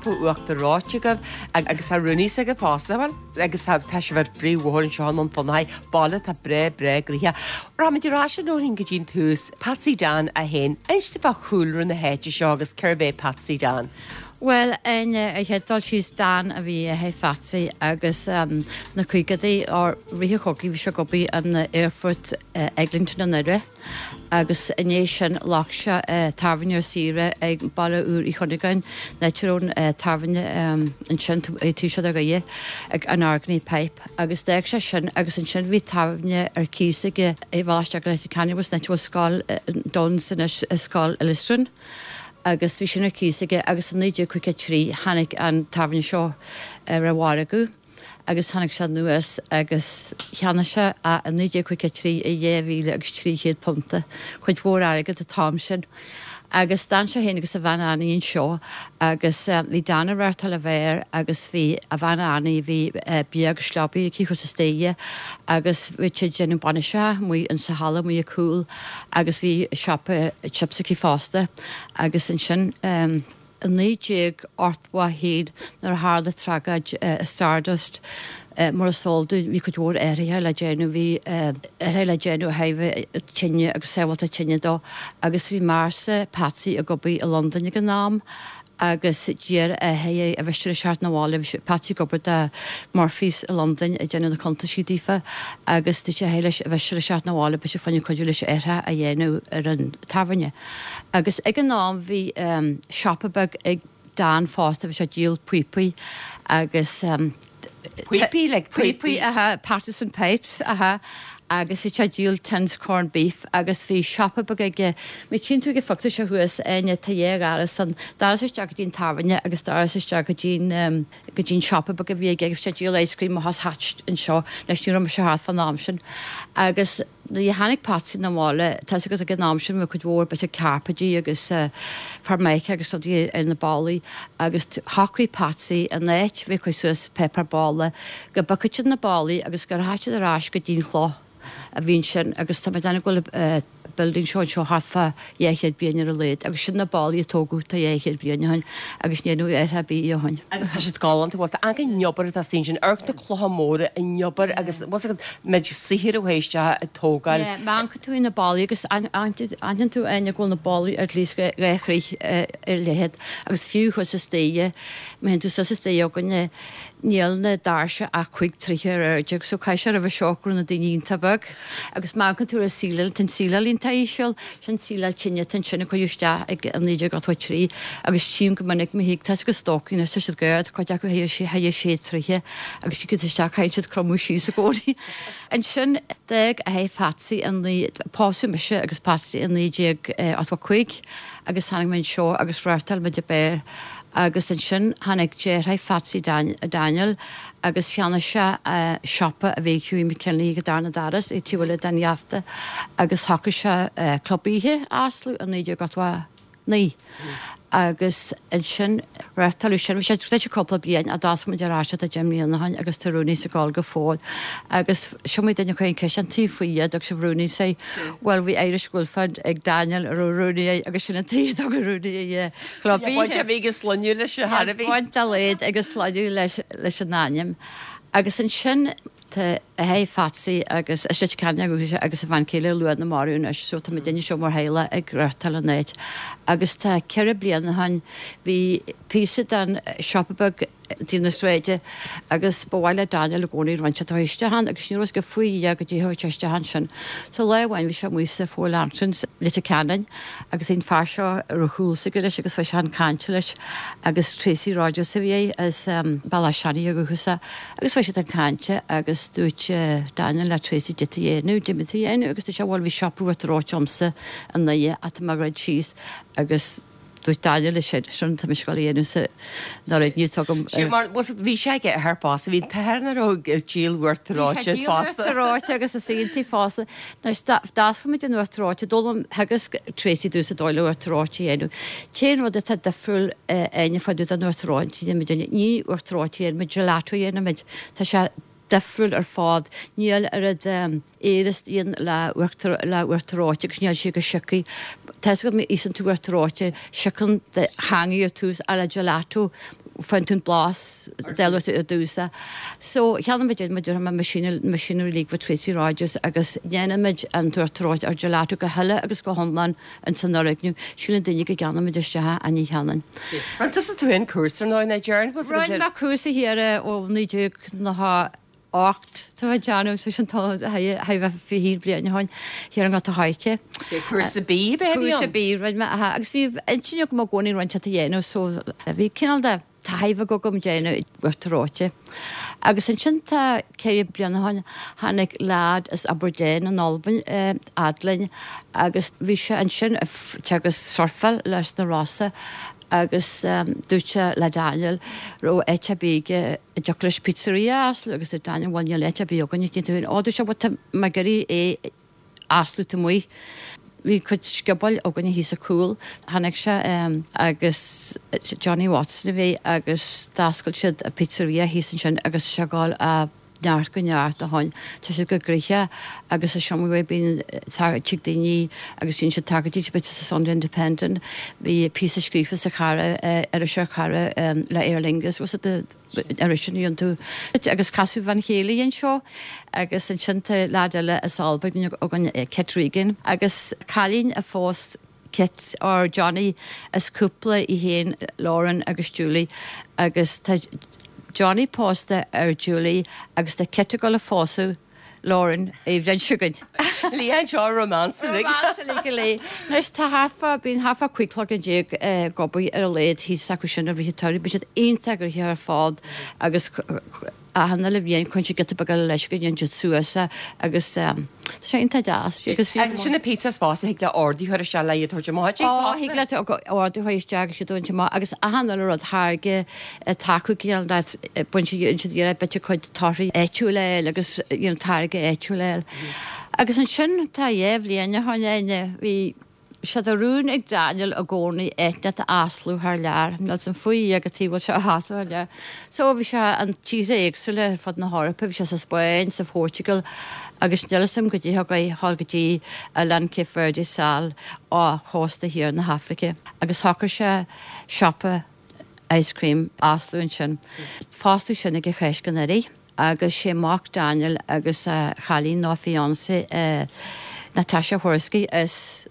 uachtar reoite agaibh agus tá Rooney's agaibh fosta, bhuel, agus tá tá sibh ar phríomhbhóthar anseo i nDún Fionnachaidh, baile atá breá breá gnoitheach. Rachaimid ar ais a Nóirín go dtí an tús, Patsy Dan é féin. Inis dom fá chúlra na háite seo agus cérbh é Patsy Dan. Bhuel, ar an chéad dul síos Dan a bhí a athair Phatsy agus na caogaidí, or rith an chogaidh bhí sé ag obair in aerfort Eglinton i nDoire. agus i ndiaidh sin ghlac sé tábhairne ar saoire ag Baile Úr Uí Chuinneagáin, an áit a raibh an tábhairne ansin ag tús ar Ghaoth ag an Argany Pipe agus d'fhág sé sin agus ansin bhí tábhairne ar cíos aige i bhealach isteach go Leitir Ceanainn an áit a bhfuil scoil Dunnes anois, Scoil Illistrin agus bhí sin ar cíos aige agus i 1953 tháinig an tábhairne seo ar an mhargadh. agus tháinig sé anuas agus cheannaigh sé é i 1953 i 2,000 agus 300 punta, cuid mhór airgid an t-am sin. Agus d'fhan sé féin agus a bhean Annie anseo agus bhí Dan ag reáchtáil an bheáir agus bhí a bhean Annie, bhí bia agus sliobaí aici thuas istigh agus bhí siad ag déanamh bainiseacha amuigh insa halla amuigh ar cúl agus bhí siopa chips aici fosta agus ansin i 1981 nuair a tharla tragóid i Stardust, mar is eol dúinn, bhí cuid mhór athruithe le déanamh, bhí athruithe le déanamh ó thaobh tine agus sábháilteacht tine dó agus bhí m'fhearsa Patsy ag obair i Londain ag an am agus d'iarr a athair air an mhiste leis theacht 'na bhaile, bhí Patsy ag obair do Murphy's i Londain ag déanamh na cuntaisí daofa agus dúirt a athair leis an mhiste leis theacht 'na bhaile b'fhéidir fá choinne cuidiú leis athruithe a dhéanamh ar an tábhairne. Agus ag an am bhí siopa beag ag Dan fosta, bhí sé ag díol píopaí agus. Píopaí, like píopaí? Píopaí, aha, partisan pipes, aha, agus bhí sé ag díol tins corned beef agus bhí siopa beag aige, má tchíonn tú ag an phictiúr seo thuas, Áine, tá dhá dhoras ann, doras isteach go dtí an tábhairne agus doras isteach go dtí an, go dtí an siopa beag a bhí aige agus bhí sé ag díol ice cream amach as hatch anseo, anois ní raibh mise thart fán am sin agus. Nuair a tháinig Patsy 'na bhaile, tá 'fhios agat ag an am sin bhí cuid mhór b'fhéidir cairpéidí agus formica agus rudaí ar na ballaí agus shocraigh Patsy in áit bheith ag cur suas páipéar balla go bpiocfadh siad na ballaí agus go rachadh siad ar ais go dtí'n chloch a bhí ansin agus tá mé ag déanamh go bhfuil building seo anseo thart fá 200 bliain ar a laghad agus sin na ballaí a tógadh tá 200 bliain ó shin agus ní dhearnadh athrú ar bith ó shin. Agus tá siad galánta, bhuel tá an obair atá istigh ansin, amharc na clocha móra, an obair agus bhfuil 'fhios agat méid saothair a chuaigh isteach ag tógáil. Yeah, má amharcann tú ar na ballaí agus aithníonn tú Áine go bhfuil na ballaí at least dhá throigh ar leithead agus fiú thuas istigh, má théann tú suas istigh againne, níl na doirse ach cuig troigh ar airde so caithfidh sé roimhe seo go raibh na daoine iontach beag agus má amharcann tú ar an síleáil, tá an tsíleáil iontach íseal, sin síleáil tine atá ansin a cuireadh isteach ag 1983 agus tchím go minic má thig, tá 'fhios agat stócaigh anois tá siad gairid, cuid acu thar sé troighe agus tiocfaidh tú isteach caithfidh siad cromadh síos i gcónaí. Ansin d'fhág athair Phatsy i naoi, pósadh mise agus Patsy i 1985 agus tháinig mé anseo agus reáchtáil muid an beár agus ansin tháinig deartháir Phatsy Daniel agus cheannaigh sé siopa a bhí ag Hughie McKinley ag an darna doras ag taobh eile den gheafta agus shocraigh sé club oíche a osclú i 1989 agus ansin reáchtáladh sin, bhí sé druidte cúpla bliain ach d'oscail muid ar ais é tá 10 mbliana ó shin agus tá Rooney's ag gabháil go fóill agus is iomaí duine a chuir an ceist an tuige faoi a dtug sibh Rooney's air, bhuel bhí Irish girlfriend ag Daniel a raibh Rooney air agus sin an tuige a dtugadh Rooney ar chlub oíche. Baint a bhí ag an sloinne leis ar chor ar bith. Baint dá laghad ag an sloinne leis an ainm agus ansin Tá athair Phatsy agus as Leitir Ceanainn ó dhúchas agus a bhean chéile Luana marbh anois so tá muidinne seo mar theaghlach ag reáchtáil an áit agus tá 4 bliana ó shin bhí píosa den siopa beag taobh na sráide agus ba mhaith le Daniel i gcónaí rud inteacht a chur isteach ann agus ní raibh fhios aige faoi Dhia goidé a thabhairt isteach ansin. So lá amháin bhí sé amuigh sa Four Lanterns, Leitir Ceanainn agus bhí an fear seo a raibh chuala aige leis agus bhí sé chun cainte leis agus Tracy Rogers a bhí air as Bealach Seanaidh ó dhúchas Agus bhí siad ag caint agus dúirt Daniel le Tracy goidé tú a dhéanamh, goidé tú a dhéanamh agus dúirt sé bhuel bhí siopa uachtar reoite agamsa i nDoire ach tá mé a dhruid síos agus dúirt Daniel leis sin, sin tá mise ag dul a dhéanamh sa fhoirgneamh atá agam. Sin mar, bhuel bhí sé aige thar fosta, bhí an t-athair ina raibh ag díol uachtar reoite fosta. Bhí sé ag díol uachtar reoite agus is iontaí fosta. Anois, d'oscail muid an uachtar reoite, d'fhoghlaim theagasc Tracy domhsa an dóigh le uachtar reoite a dhéanamh. Cén rud atá difriúil Áine fá dtaobh den uachtar reoite a dhéanann muid? Ní uachtar reoite a dhéanann muid, gelato a dhéanann muid. Tá sé difriúil ar fad. Níl oiread aeir istigh ann le uachtar le uachtar reoite agus níl sé chomh siocaí. Tá 'fhios agat má íosann tú uachtar reoite, siocann do theangaidh ar tús ach le gelato faigheann tú an blas del ar dtús. So, cheannaigh muid muid ar machinery machinery uilig ó Tracy Rogers agus déanann muid an t-uachtar reoite ar gelato go huile agus go hiomlán ins an fhoirgneamh. Síleann daoine go gceannaíonn muid isteach é ach ní cheannaíonn. Rinne tusa tú féin cúrsa ar ndóigh, nach dtearn? Rinne mé cúrsa thiar ó 1998 tá mé ag déanamh, so sin tá thar a bheith 20 bliain ó shin, thiar i nGort a' Choirce. Cúrsa bídh ab ea a bhí ann? Cúrsa bídh rinne mé, aha, agus bhí intinn agam i gcónaí rud inteacht a dhéanamh so bhí cineál de taithí bheag agam déanamh uachtar reoite. Agus ansin tá 4 bliana ó shin tháinig leaid as Aberdeen in Albain fhad linn agus bhí sé ansin ag teagasc surfáil leis na Rosa. Agus dúirt sé le Daniel raibh áit ar bith aige a dtiocfadh leis pizzeria a osclú agus dúirt Daniel bhuel níl áit ar bith againn ag déanamh Ó dúirt sé bhuel tá mé ag iarraidh é a osclú taobh amuigh. Bhí cuid sciobóil againne thíos sa cúl. Tháinig sé agus Johnny Watson a bhí agus d'oscail siad pizzeria thíos ansin agus tá sé ag gabháil ó neart go neart ó shoin. Tá siad go gnoitheach agus is iomaí uair bíonn tig daoine agus déanann siad tagairtí b'fhéidir sa Sunday Independent. Bhí píosa scríofa sa Chara, iriseoir Chara le Aer Lingus, was it the iris an iontu agus casadh bhean chéile anseo agus ansin tá leaid eile as Albain againn Kit Regan agus cailín a phós Kit or Johnny is cúpla í féin Lauren agus Julie agus tá Johnny pósta ar Julie agus tá Kit ag dul a phósadh Lauren an bhliain seo chugainn. Lean seo romance uilig. Romance uilig go léir. Anois tá thart fá, bíonn thart fá 15 cloigeann ag obair ar a laghad thíos acu sin i rith an tsamhraidh. Bíonn siad iontach gnoitheach ar fad agus achan uile bhliain cuireann siad giota beag eile leis go ndéanann siad suas é agus tá sé iontach deas agus bhí Agus sin na pizzas fosta, thig le ordú a chur isteach le iad a thabhairt amach duit Ó, thig leat ordú a chur isteach agus iad a thabhairt amach agus achan uile rud táirge atá acu cineál de baint siad iarraidh b'fhéidir cuid torthaí áitiúil a fháil agus you know táirge áitiúil a fháil. Agus ansin tá dhá bhliain ó shoin Áine, bhí sé de rún ag Daniel i gcónaí áit a osclú thar lear. Níl 's a'm faoi Dhia cad chuige a bhfuil sé á osclú thar lear. So bhí sé in tíortha éagsúla ar fud na hEorpa, bhí sé sa Spáinn, sa Phortugal agus níl 'fhios a'm goidé thug é thall go dtí oileán Cape Verde sall ó chósta thiar na hAfraice agus shocraigh sé siopa ice cream a osclú ansin. Foscladh sin ag an Cháisc anuraidh. Agus sé mac Daniel agus a chailín nó a fiancé Natasha Whoriskey as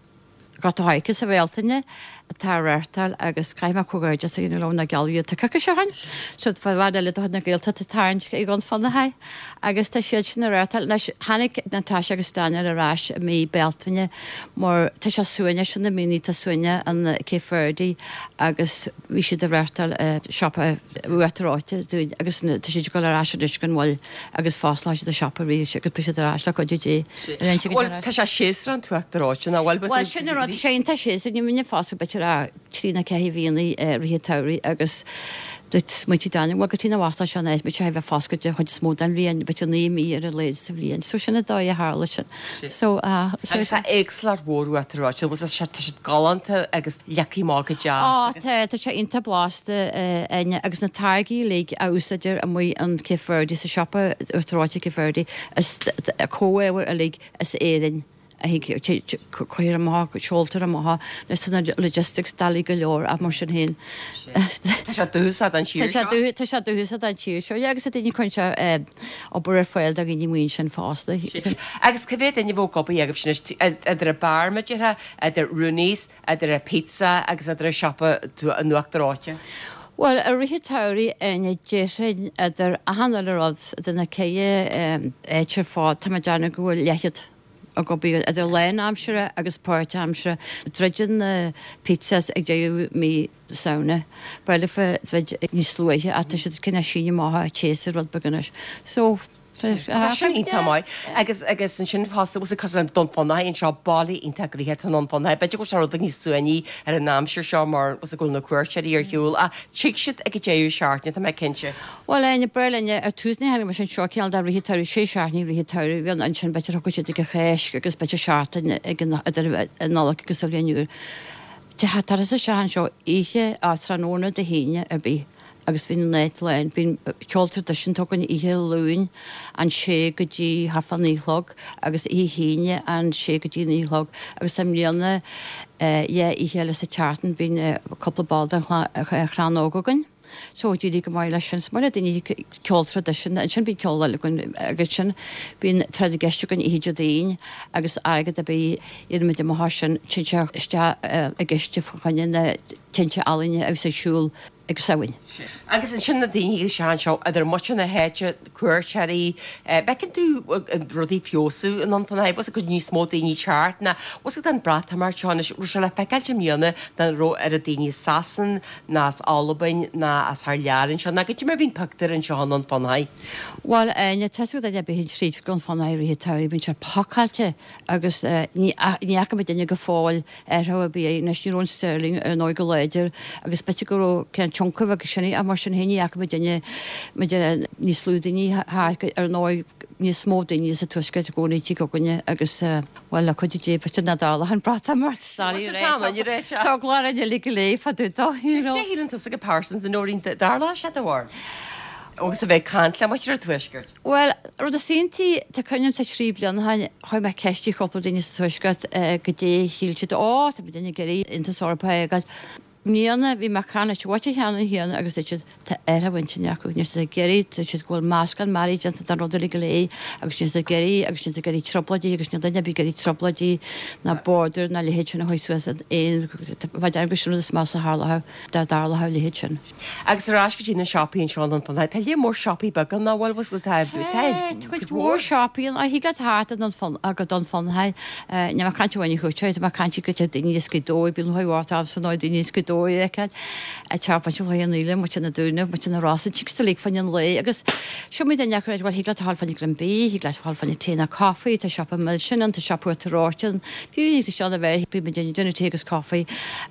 Gort a' Choirce sa Bhealtaine atá ag reáchtáil agus caithfidh mé comhghairdeas a dhéanamh leo nó gealladh iad coicís ó shin. So bean eile de chuid na Gaeltachta ag tarraingt i gCon Fionnachaidh agus tá siad sin ag reáchtáil. Anois tháinig Natasha agus Daniel ar ais i mí Bealtaine mar tá sé suaimhneach sin na míonna tá suaimhneach in Cape Verde agus bhí siad ag reáchtáil siopa Uachtar Reoite dúinn agus tá siad ag dul ar ais arís gan mhoill agus fosclóidh siad an siopa arís agus beidh siad ar ais le cuidiú Dé. Bhuel, tá sé séasúrach an t-uachtar reoite, nach bhfuil? Bhuel, sin an rud, tá sé iontach séasúrach, ní bhíonn foscadh b'fhéidir ach trí nó ceathair mhíonna i rith an tsamhraidh agus dúirt smaointigh Daniel, bhuel, cad chuige nach bhfosclódh sé an áit, bheadh sé a bheith foscailte den chuid is mó den bhliain, b'fhéidir 9 mí ar a laghad sa bhliain. So sin an dóigh a tharla sin. So, ah, so. Agus tá éagsúlacht mhór uachtar reoite, bhfuil sé, tá siad galánta agus leagtha amach go deas Á, tá, tá sé iontach blasta, Áine, agus na táirgí uilig a úsáidtear amuigh in Cape Verde, sa siopa uachtar reoite Cape Verde, is comhábhair uilig as Éirinn a thig, cuirtear amach, seoltar amach, anois tá na logistics doiligh go leor ach mar sin féin. Tá sé dúchasach don tír seo. Tá sé dúchasach don tír seo, yeah, agus tá daoine cuireann sé obair ar fáil do dhaoine amuigh ansin fosta. Agus cá mhéad duine a bheadh ag obair agaibh anois, idir an beár mar a déarfá, idir Rooney's, idir an pizza agus idir an siopa an uachtar reoite? Bhuel, i rith an tsamhraidh, Áine, déarfainn idir achan uile rud, idir na ceithre áit ar fad, tá mé ag déanamh go bhfuil leathchéad ag obair idir lánaimseartha agus páirtaimseartha. Druideann na pizzas ag deireadh mí Samhna. B'fhéidir leofa druid níos luaithe ach tá siad cineál síneadh amach an tséasúr rud beag anois. So, Tá sin iontach maith. Agus agus ansin fosta bhfuil cosúil le Dún Fionnachaidh anseo, baile iontach gnoitheach atá i nDún Fionnachaidh. B'fhéidir go bhfuil sé rud beag níos suaimhní ar an aimsir seo mar bhfuil go bhfuil na cuairteoirí ar shiúl ach tig siad ag an deireadh seachtaine, tá mé cinnte. Bhuel, Áine, b'fhearr linne ar tús ní tháinig mise anseo cineál de rith an tsamhraidh, sé seachtainí rith an tsamhraidh, bhí ann ansin b'fhéidir thiocfadh siad ag an Cháisc agus b'fhéidir seachtain ag an idir an Nollaig agus an Bhliain Úr. Turas isteach anseo oíche á tráthnóna Dé hAoine ar bith agus bíonn an áit lán. Bíonn ceol traidisiúnta againn oíche Luain ón sé go dtí thart fá naoi a chlog agus oíche hAoine ón sé go dtí naoi a chlog agus i mbliana dhá oíche eile sa tseachtain bíonn cúpla ball den chlann óg againn. So d'éirigh go maith leis sin. Is maith le daoine ceol traidisiúnta. Ansin bíonn ceol eile againn agus ansin bíonn tráth na gceist againn oíche Déardaoin agus airgead ar bith a iarraimid amach as sin téann sé isteach i gciste fá choinne na tinte ealaíne a bhíos ar siúl. Ag Samhain. Agus ansin na daoine isteach anseo, idir muintir na háite, cuairteoirí, bhfeiceann tú rudaí ag feabhsú i nDún Fionnachaidh, bhfuil 's agat níos mó daoine teacht ná bhfuil 's agat an Breatimeacht seo anois, raibh sé le feiceáilt i mbliana nach raibh oiread daoine as Sasain ná as Albain ná as thar lear anseo, ná goidé mar a bhí an pictiúr anseo i nDún Fionnachaidh. Bhuel, Áine, tá 's ag duine ar bith a théann tríd Dún Fionnachaidh i rith an tsamhraidh, bíonn sé pacáilte agus ní fhaca muid duine go fóill athrú ar bith anois ní raibh an sterling ar ndóigh go láidir agus b'fhéidir go raibh cineál tionchar aige sin ach mar sin féin ní fhaca muid duine muid níos lú daoine thart ar ndóigh níos mó daoine sa tuaisceart i gcónaí tigh againne agus bhuel le cuidiú Dé b'fhéidir nach dtarlódh an Breatimeacht Tá glár an uile go léir fá dtaobh dó you know. Cé shíleann tusa go pearsanta Nóirín dtarlódh sé do bharr agus a bheith ag caint le muintir an tuaiscirt? Bhuel, rud is iontaí, tá cuimhne agam sa trí bliana ó shin, chuir mé ceist ar chúpla duine sa Tuaisceart goidé a shíl siad, Ó, tá muid ag iarraidh Aontas Eorpach a fhágáil. I mbliana, bhí mé ag caint leis an mhuintir cheannann chéanna agus dúirt siad, tá athrú intinne acu, níl siad ag iarraidh, dúirt siad go bhfuil meascán mearaí déanta den rud uilig go léir agus níl siad ag iarraidh agus níl siad ag iarraidh trioblóidí agus níl duine ar bith ag iarraidh trioblóidí ná border ná leithéid sin a chur suas in aon, ba dheimhin go sin rud is measa a tharlódh dá dtarlódh a leithéid sin. Agus ar ais go dtí na siopaí anseo i nDún Fionnachaidh. Tá lear mór siopaí beaga ann, nach bhfuil? Bhfuil tá tá cuid mhór siopaí ann. Thig leat theacht i nDún Fionn go Dún Fionnachaidh. Níl mé ag caint amháin ar chuairteoirí, tá mé ag caint go dtí daoine as Gaoth Dobhair, bíonn lúcháir mhór ormsa ar ndóigh daoine as Gaoth Dobhair a fheiceáil. Ag teacht muintir Chloich Cheann Fhaola, muintir na Dúnaibh, muintir na Rosann, tig sa league fá choinne an lae agus seo muid duine acu bhuel thig leat a ghabháil fá choinne greim bídh, thig leat a ghabháil fá choinne tae nó caife, tá siopa milseáin ann, tá siopa Uachtar Reoite ann, fiú thig leat isteach a bheith, bíonn muid ag déanamh tae agus caife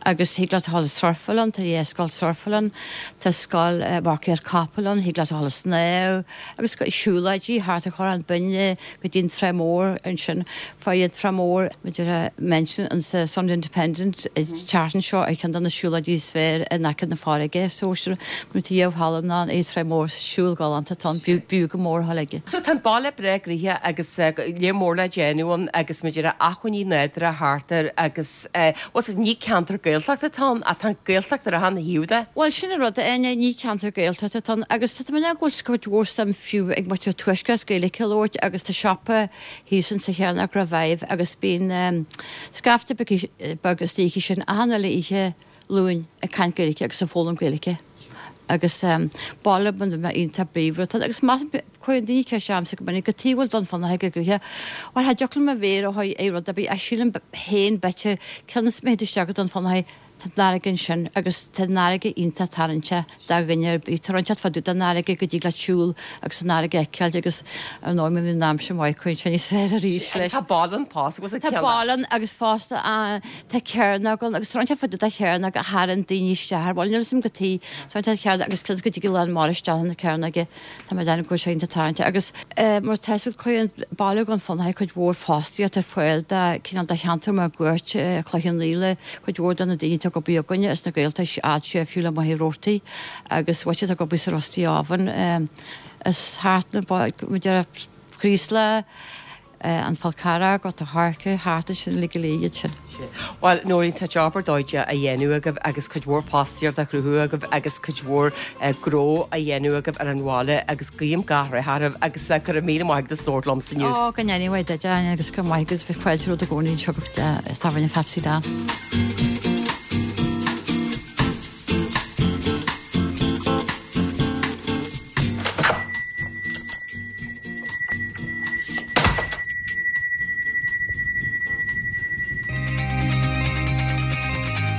Agus thig leat a ghabháil ag surfáil ann, tá dhá scoil surfáil ann, tá scoil marcaíocht capall ann, thig leat a ghabháil ag snámh, agus siúlóidí thart ar Chorrán Binne go dtí an Trá Mhór ansin. Fuair an Trá Mhór, b'fhéidir, mention in sa Sunday Independent an tseachtain seo ar cheann de na siúlóidí is fearr in aice na farraige. So sin rud a dhéarfá ná an Trá Mhór, siúl galánta atá ann, b'fhiú go mór a ghabháil aige. So tá an baile breá gnoitheach agus lear mór le déanamh ann agus muid ar acmhainní nádúrtha thart air agus Bhuel, ní ceantar Gaeltachta atá ann, ach tá an Ghaeltacht ar achan thaobh de. Bhuel, sin an rud, a Áine, ní ceantar Gaeltachta atá ann agus tá mé go bhfuil cuid mhór suim fiú ag muintir an Tuaiscirt Gaeilge a labhairt agus tá siopa thíos insa Chearnóg Revive agus bíonn scaifte beag istigh ansin achan uile oíche Luain ag caint Gaeilge agus ag foghlaim Gaeilge agus baile iontach bríomhar atá ann agus measaim Cuireann daoine ceist ormsa go minic, cad chuige a bhfuil Dún Fionnachaidh go gnoitheach. Bhuel, cha dtiocfadh liom mo mhéar a shá ar rud ar bith ach sílim féin b'fhéidir, cionn is má théann tú isteach go Dún Fionnachaidh, tá an fharraige ansin agus tá an fharraige iontach tarraingteach do dhuine ar bith. Tá rud inteacht fá dtaobh den fharraige go dtig leat siúl agus an fharraige a fheiceáil agus ar ndóigh má bhíonn an aimsir maith cuireann sé níos fearr arís leis. Agus tá baile ann fosta, bhfuil Tá baile ann agus fosta tá cearnóg ann agus tá rud inteacht fá dtaobh de chearnóg a tharraing daoine isteach ar bhuel níl a fhios agam cad chuige, tá rud inteacht chearnóg agus cionn is go dtig a lán mara isteach na cearnóige. Tá mé ag déanamh go bhfuil sé iontach tarraingteach agus mar tá 'fhios agat cuireann baile Dhún Fionnachaidh cuid mhór fostaíocht ar fáil do cineál de cheantar máguaird Cloich Cheann Fhaola, cuid mhór de na daoine atá ag obair againne as na Gaeltachtaí fhad siar fiú le Machaire Rabhartaigh agus muintir atá ag obair sa Roasty Oven is thart na muid ar Chraoslach. An Fál Carrach, Gort a' Choirce, thart ansin uilig go léir iad sin. Bhuel, Nóirín, tá job ar dóigh á dhéanamh agaibh agus cuid mhór fostaíocht á chruthú agaibh agus cuid mhór gnó á dhéanamh agaibh ar an bhaile agus guím gach rath oraibh agus go raibh míle maith agat as labhairt liomsa inniu. Ó, go ndéana Dia duit, Áine, agus go raibh maith agat, bhí fáilte romhat i gcónaí anseo go Tábhairne Phatsy Dan.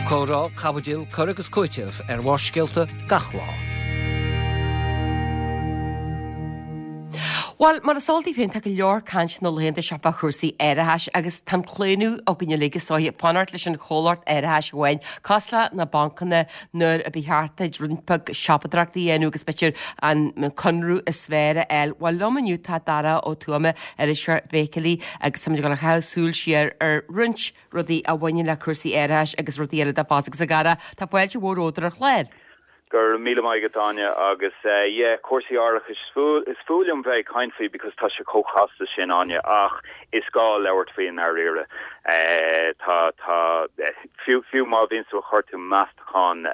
Comhrá, caibidil, cur agus cúiteamh ar Bharrscéalta gach lá. Bhuel, mar is eol daoibh féin, tá go leor caint na laethanta seo fá chúrsaí árachais agus tá an claonadh againn uilig is dóiche fanacht leis an chomhlacht árachais amháin, cosúil le na bancanna nuair a ba cheart duit roinnt beag siopadóireachta a dhéanamh agus b'fhéidir an conradh is fearr a fháil. Bhuel, liom inniu tá Dara Ó Tuama, iriseoir Feithiclí agus táimid ag dul a chaitheamh súil siar ar roinnt rudaí a bhaineann le cúrsaí árachais agus rudaí eile de fosta agus a Dhara, tá fáilte mhór romhat ar an chlár. Go raibh míle maith agat Áine agus yeah cúrsaí árachais is fuath liom bheith ag caint faoi because tá sé chomh casta sin Áine ach is gá labhairt faoi i ndáiríre. Tá tá fiú fiú má bhíonn tú ag cuartú meastachán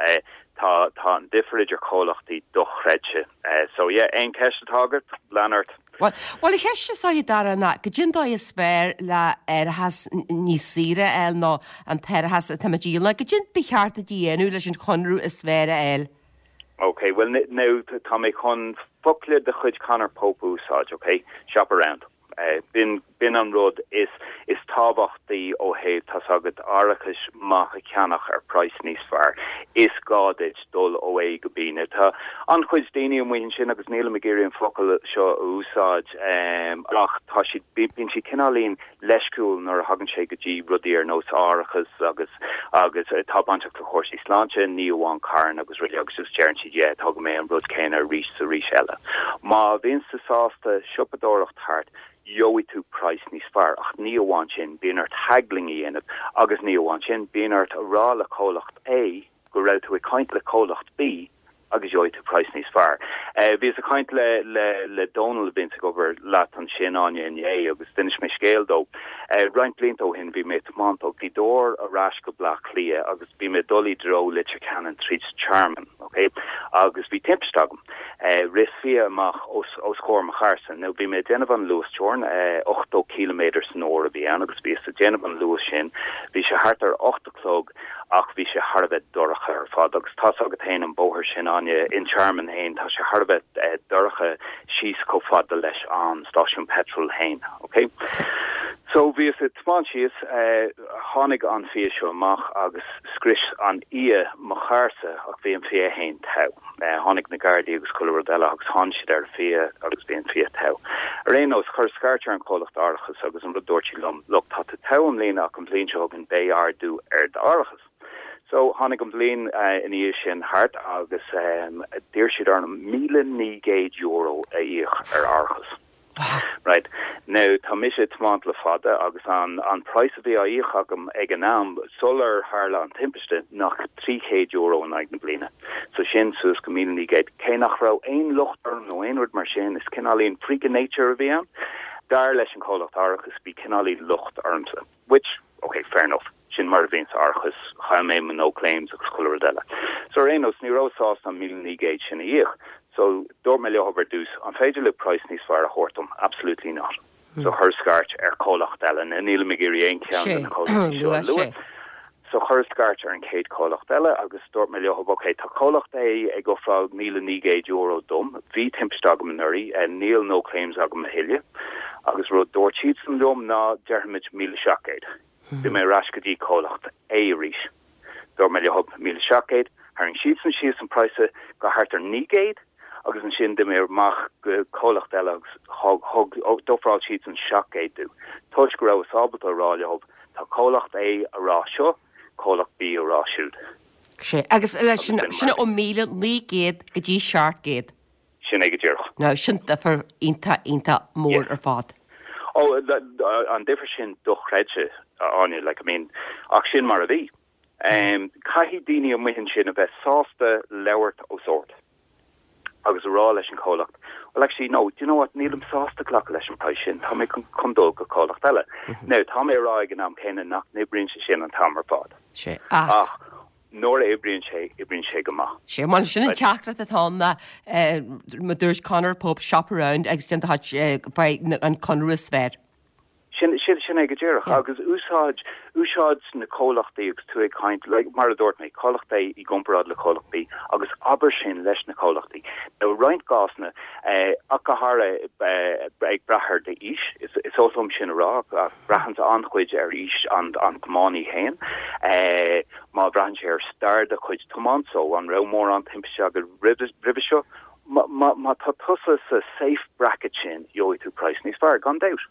tá tá an difear idir comhlachtaí dochreidte. So yeah aon cheist atá agat lean ort. Bhuel, bhuel, an cheist is dóiche, Dara, ná goidé an dóigh is fearr le árachas níos saoire a fháil nó an t-árachas atá muid a dhíol, ná goidé ba cheart duit a dhéanamh leis an chonradh is fearr a fháil? Ok, bhuel now tá mé chun focla de chuid Conor Pope a úsáid, ok? Shop around. B'in, b'in an rud is, is tábhachtaí ó thaobh, tá's agat, árachas maith a cheannach ar praghas níos fearr. Is gá duit dul ó A go B. Now tá an-chuid daoine amuigh ansin agus nílim ag iarraidh an focal seo a úsáid ach tá siad, bíonn siad cineáilín leisciúil nuair a thagann sé go dtí rudaí ar nós árachas agus agus atá bainteach le cúrsaí sláinte, ní amháin carranna agus rudaí agus just deireann siad yeah tógfaidh mé an rud céanna arís is arís eile. Má bhíonns tú sásta siopadóireacht thart gheobhaidh tú praghas níos fearr ach ní amháin sin bíonn ort haggling a dhéanamh agus ní amháin sin bíonn ort a rá le comhlacht A go raibh tú ag caint le comhlacht B agus gheobhaidh tú praghas níos fearr. Bhíos ag caint le le le Dónal a bhíonns ag obair leat ansin, Áine, inné agus d'inis mé scéal dó. Roinnt blianta ó shin bhí mé ag tiomáint ó Ghaoth Dobhair ar ais go Bleá Cliath agus bhí mé ag dul i dtreo Leitir Ceanainn tríd Tearmann, ok? Agus bhí timpiste agam. Rith fia amach os os comhair mo charrsa. Now bhí mé ag déanamh an luasteorann, 80 cíliméadar san uair a bhí ann agus bhíos ag déanamh an luas sin. Bhí sé thart ar 8 a chlog ach bhí sé thar a bheith dorcha ar fad agus tá's agat fhéin an bóthar sin Áine, in Tearmann fhéin, tá sé thar a bheith dorcha síos chomh fada leis an stáisiún peitril fhéin, ok? So bhíos ag tiomáint síos, tháinig an fia seo amach agus scrios an fhia mo charrsa ach bhí an fia fhéin togha. Tháinig na Gardaí agus chuile rud eile agus tháinig siad ar an fia agus bhí an fia togha. Ar aon nós, chuireas scairt ar an chomhlacht árachais agus an rud dúirt siad liom, look, tá tú togha i mbliana ach an bhliain seo chugainn beidh ardú ar d'árachas. So, tháinig an bhliain ina dhiaidh sin thart agus d'iarr siad orm €1,900 a íoc ar árachas. Right. Now, tá mise ag tiomáint le fada agus an, an praghas a bhí á íoc agam ag an am, sular tharla an timpiste, ná €300 in aghaidh na bliana. So sin suas go 1,900. Cé nach raibh aon locht orm nó aon rud mar sin, is cineáilín freak of nature a bhí ann. Dar leis an chomhlacht árachais, bhí cineáilín locht ormsa. Which, ok, fair enough, sin mar a bhíonns árachas, chaill mé mo no claims agus chuile rud eile. So ar aon nós, ní rabhas sásta an 1,900 sin a íoc, so dúirt mé leo ar dtús, an féidir libh praghas níos fearr a thabhairt dom? Absolutely not. So chuireas scairt ar chomhlacht eile, now nílim ag iarraidh aon cheann de na comhlachtaí seo a lua. So chuireas scairt ar an chéad chomhlacht eile agus dúirt mé leo, ok, tá comhlacht A ag ofráil €1,900 dom, bhí timpiste agam anuraidh, níl no claims agam a thuilleadh, agus rud dúirt siadsan liom ná déarfaimid 1,700. Bhí mé ar ais go dtí comhlacht A arís. Dúirt mé leo 1,700, tharraing siadsan síos an praghas go thart ar 900 agus ansin d'imigh mé amach go comhlacht eile agus thug, d'ofráil siadsan 700 domh, toisc go rabhas ábalta a rá leo Tá comhlacht A a rá seo, comhlacht B a rá siúd. Sea, agus leis sin, sin ó 1,900 go dtí 700. Sin é go díreach. Now, sin difear iontach, iontach mór ar fad. Ó, an difear sin dochreidte, Áine, like, I mean, ach sin mar a bhí. Caithfidh daoine amuigh ansin a bheith sásta labhairt os ard. agus a rá leis an chomhlacht, well actually no, do you know what, nílim sásta glacadh leis an praghas sin, tá mé chun dul go comhlacht eile. Now, tá mé a rá ag an am céanna nach n-oibríonn sé sin an t-am ar fad. Sea, ach. Ach nuair a oibríonn sé, oibríonn sé go maith. Sea, mar sin an teachtaireacht atá ann ná, mar a dúirt Conor Pope, shop around agus déan do chuid, faigh an conradh is fearr. Sin, sin, sin é go díreach. Agus úsáid, úsáid na comhlachtaí agus tú ag caint, like, mar a dúirt mé, comhlacht A i gcomparáid le comhlacht B, agus abair sin leis na comhlachtaí. Now, i roinnt cásanna, eh, ach go háirithe, eh, ag brath ar d'aois, is, is oth liom sin a rá, ach braitheann an-chuid ar aois an, an tiománaí féin. Eh, má bhraitheann sé ar stair do chuid tiomáint, so an raibh mórán timpiste agat roimhe, roimhe seo, Má, má, má tá tusa sa safe bracket sin, gheobhaidh tú praghas níos fearr, gan dabht.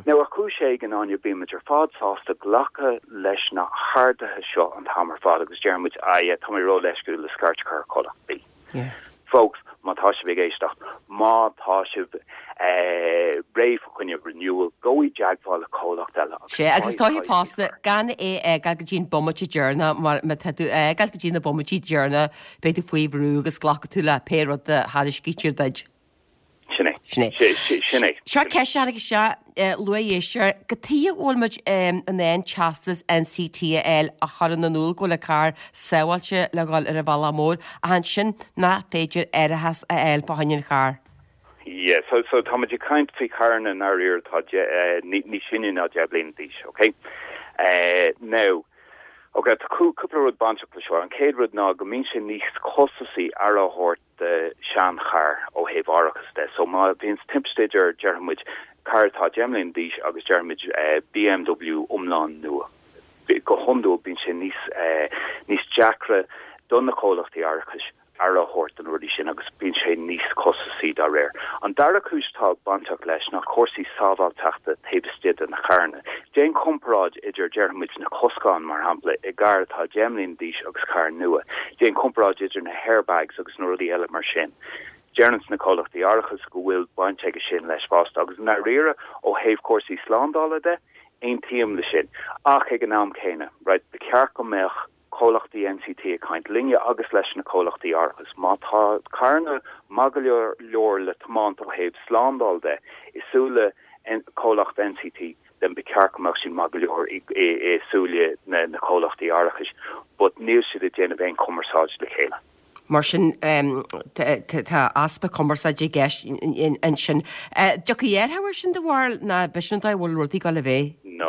Now, ar chúis éigin, Áine, bímid ar fad sásta glacadh leis na harduithe seo an t-am ar fad agus deirimid, ah yeah, tá mé ró-leisciúil le scairt a chur ar chomhlacht B. Folks, má tá sibh ag éisteacht, má tá sibh eh, réidh fá choinne renewal, gabh i dteagmháil le comhlacht eile agus Sea, agus is dóiche fosta, gan é a fhágáil go dtí an bomaite deireanach, mar má tá tú á fhágáil go dtí na bomaití deireanach, Beidh tú faoi bhrú agus glacfaidh tú le pé rud a thairiscítear duit. Sin é. Sin é. Sin é. Seo ceist a tháinig isteach, luaigh éisteoir, cad chuige a bhfuil muid in ann teastas NCT a fháil a chuireann in iúl go bhfuil an carr sábháilte le dhul ar an bhealach mór ach ansin nach féidir árachas a fháil fá choinne an chairr? Yeah, so, so táimid ag caint faoi charranna i ndáiríre atá níos sine ná 10 bliana d'aois, ok? Now, ok, Ok, tá cúpla rud bainteach le seo. An chéad rud ná go mbíonn sé níos costasaí aire a thabhairt do sheancharr ó thaobh árachas de. So má bhíonn timpiste idir, déarfaidh muid, carr atá 10 mbliana d'aois agus déarfaidh muid BMW iomlán nua, go hiondúil bíonn sé níos, níos deacra do na comhlachtaí árachais aire a thabhairt do na rudaí sin agus bíonn sé níos costasaí dá réir. An dara cúis atá bainteach leis ná cúrsaí sábháilteachta taobh istigh de na carranna. Déan comparáid idir, déarfaidh muid, na coscáin, mar shampla, i gcarr atá 10 mbliana d'aois agus carr nua. Déan comparáid idir na hairbags agus na rudaí eile mar sin. Deireanns na comhlachtaí árachais go bhfuil baint aige sin leis fosta agus i ndáiríre ó thaobh cúrsaí slándála de, aontaím le sin. Ach ag an am céanna, right, ba cheart go mbeadh comhlachtaí NCT ag caint linne agus leis na comhlachtaí árachais. Má tá carranna maith go leor le tiomáint ó thaobh slándáil de i súile comhlacht NCT then ba cheart go mbeadh siad maith go leor i súile na comhlachtaí árachais but níl siad ag déanamh aon cumarsáid le chéile. Mar sin, tá easpa cumarsáide i gceist ansin. Dtiocfaidh athrú air sin do bharúil nó b'shin an dóigh a bhfuil rudaí ag dul a bheith, No,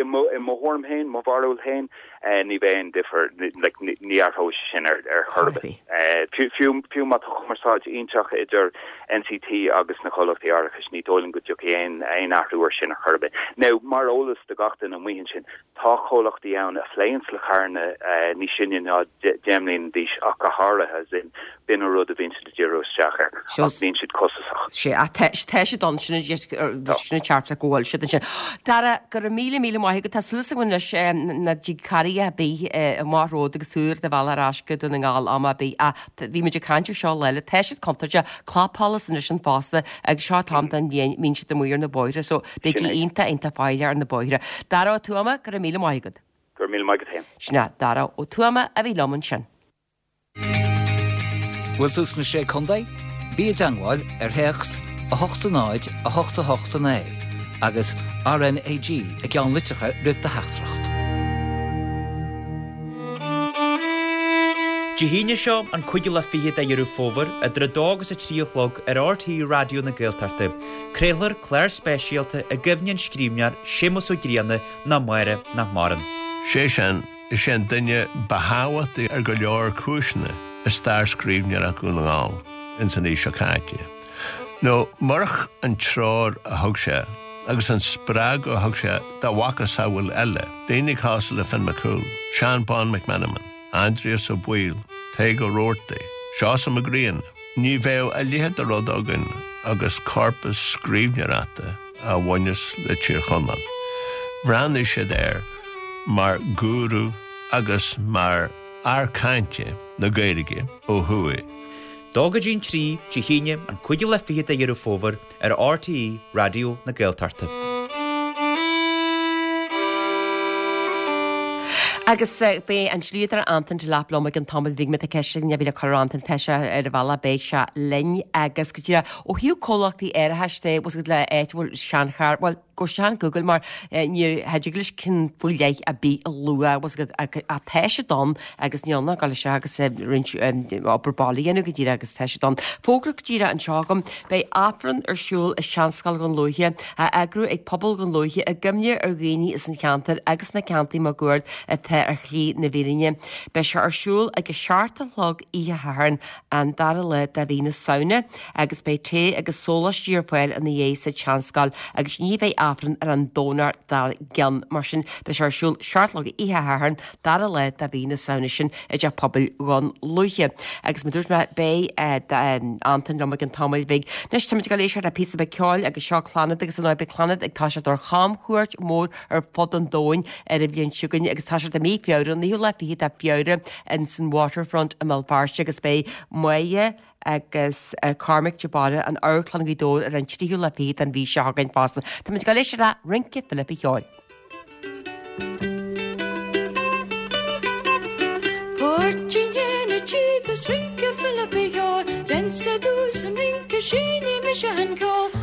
i mo thuairim féin, mo bharúil féin, ní bheidh aon difear, like, ní athróidh sé sin ar chor ar bith. Fiú, fiú má tá cumarsáid iontach idir NCT agus na comhlachtaí árachais, ní dóigh liom go dtiocfaidh aon, aon athrú air sin ar chor ar bith. Now, mar eolas do gach duine amuigh ansin, Tá comhlachtaí ann a phléanns le carranna níos sine ná 10 mbliana d'aois ach go háirithe, as in, b'in an rud a bhíonn siad ag díriú isteach air, ach bíonn siad costasach. Sea, ach tá siad ann, sin an teachtaireacht go bhfuil siad ansin. Dara, go raibh míle míle maith agat, tá súil agam anois nach dtig carraig ar bith amach romhat agus tú ar do bhealach ar ais go Dún na nGall am ar bith ach bhí muid ag caint ar seo lá eile, tá siad contúirteach, clapsholas anois ann fosta agus seo an t-am den bhliain, mbíonn siad amuigh ar na bóithre so Bígí iontach, iontach faichilleach ar na bóithre. Dara Ó Tuama, go raibh míle maith agat. Go raibh míle maith agat féin. Sin é Dara Ó Tuama a bhí liom ansin. Bhfuil tú sna Sé Contae? Bí i dteangmháil ar théacs 8 0 8 8 9 agus RnaG i gceannlitreacha roimh do theachtaireacht. Dé hAoine seo, an cúigiú lá fichead de Dheireadh Fómhair, idir 2 agus 3 a chlog ar RTÉ Raidió na Gaeltachta, Craolfar clár speisialta i gcuimhne an scríbhneoir Séamus Ó Grianna ná Máire nach maireann. Sé sin, is é an duine ba thábhachtaí ar go leor cúiseanna i stair scríbhneoireacht Dhún na nGall ins an aois seo caite. Nó murach an treoir a thug sé agus an spreagadh a thug sé dá mhacasamhail eile, daoine cosúil le Finn McCool, Seán Bán McMenamin, Aindrias Ó Baoill, Tadhg Ó Rabhartaigh, Seosamh Mac Grianna, Ní bheadh a leithéid de rud againn agus corpas scríbhneoireachta a bhaineas le Tír Chonaill. Bhreathnaigh siad air mar ghúrú agus mar fhear cainte na Gaeilge ó thuaidh. Dó go dtí'n 3, Dé hAoine, an cúigiú lá fichead de Dheireadh Fómhair, ar RTÉ Raidió na Gaeltachta. Agus beidh an dlíodóir Antain Delap liom i gcionn tamaill bhig má tá ceist ar bith le cur ar Antain tá sé ar a bhealach beidh sé linn agus go díreach ó thaobh comhlachtaí árachais de bhfuil le áit a bhfuil seancharr bhuel gabh isteach ar Google mar ní thig leis ceann faoi leith ar bith a lua bhfuil ach tá siad ann agus níl ann ach dul isteach agus roinnt obair baile a dhéanamh go díreach agus tá siad ann. Fógra go díreach anseo agam, beidh Aifreann ar siúl i Seanscoil Dhún Lúiche, á eagrú ag pobal Dhún Lúiche i gcuimhne ar dhaoine as an cheantar agus na ceantair máguaird atá ar shlí na bhfírinne. Beidh sé ar siúl ag a seacht a chlog oíche Shathairn, an dara lá de mhí na Samhna, agus beidh tae agus sóláistí ar fáil ina dhiaidh sa tSeanscoil agus ní bheidh Aifreann ar an Domhnach dár gcionn. Mar sin, beidh sé ar siúl seacht a chlog oíche Shathairn, dara lá de mhí na Samhna sin i dTeach Pobail Dhún Lúiche. Agus mar dúirt mé, beidh Antain liom i gcionn tamaill bhig. Anois táimid ag dul éisteacht le píosa beag ceoil agus seo Clannad agus ar ndóigh beidh Clannad ag toiseacht ar chamchuairt mhór ar fud an domhain ar an bhliain seo chugainn agus tá siad i mí Feabhra, an naoú lá fichead de Feabhra ins an Waterfront i mBéal Feirste agus beidh Máire agus Cormac de Barra in Amharclann Ghaoth Dobhair ar an tríú lá fichead den mhí seo chugainn fosta. Táimid ag dul éisteacht le Rince Philip Uí Cheoil.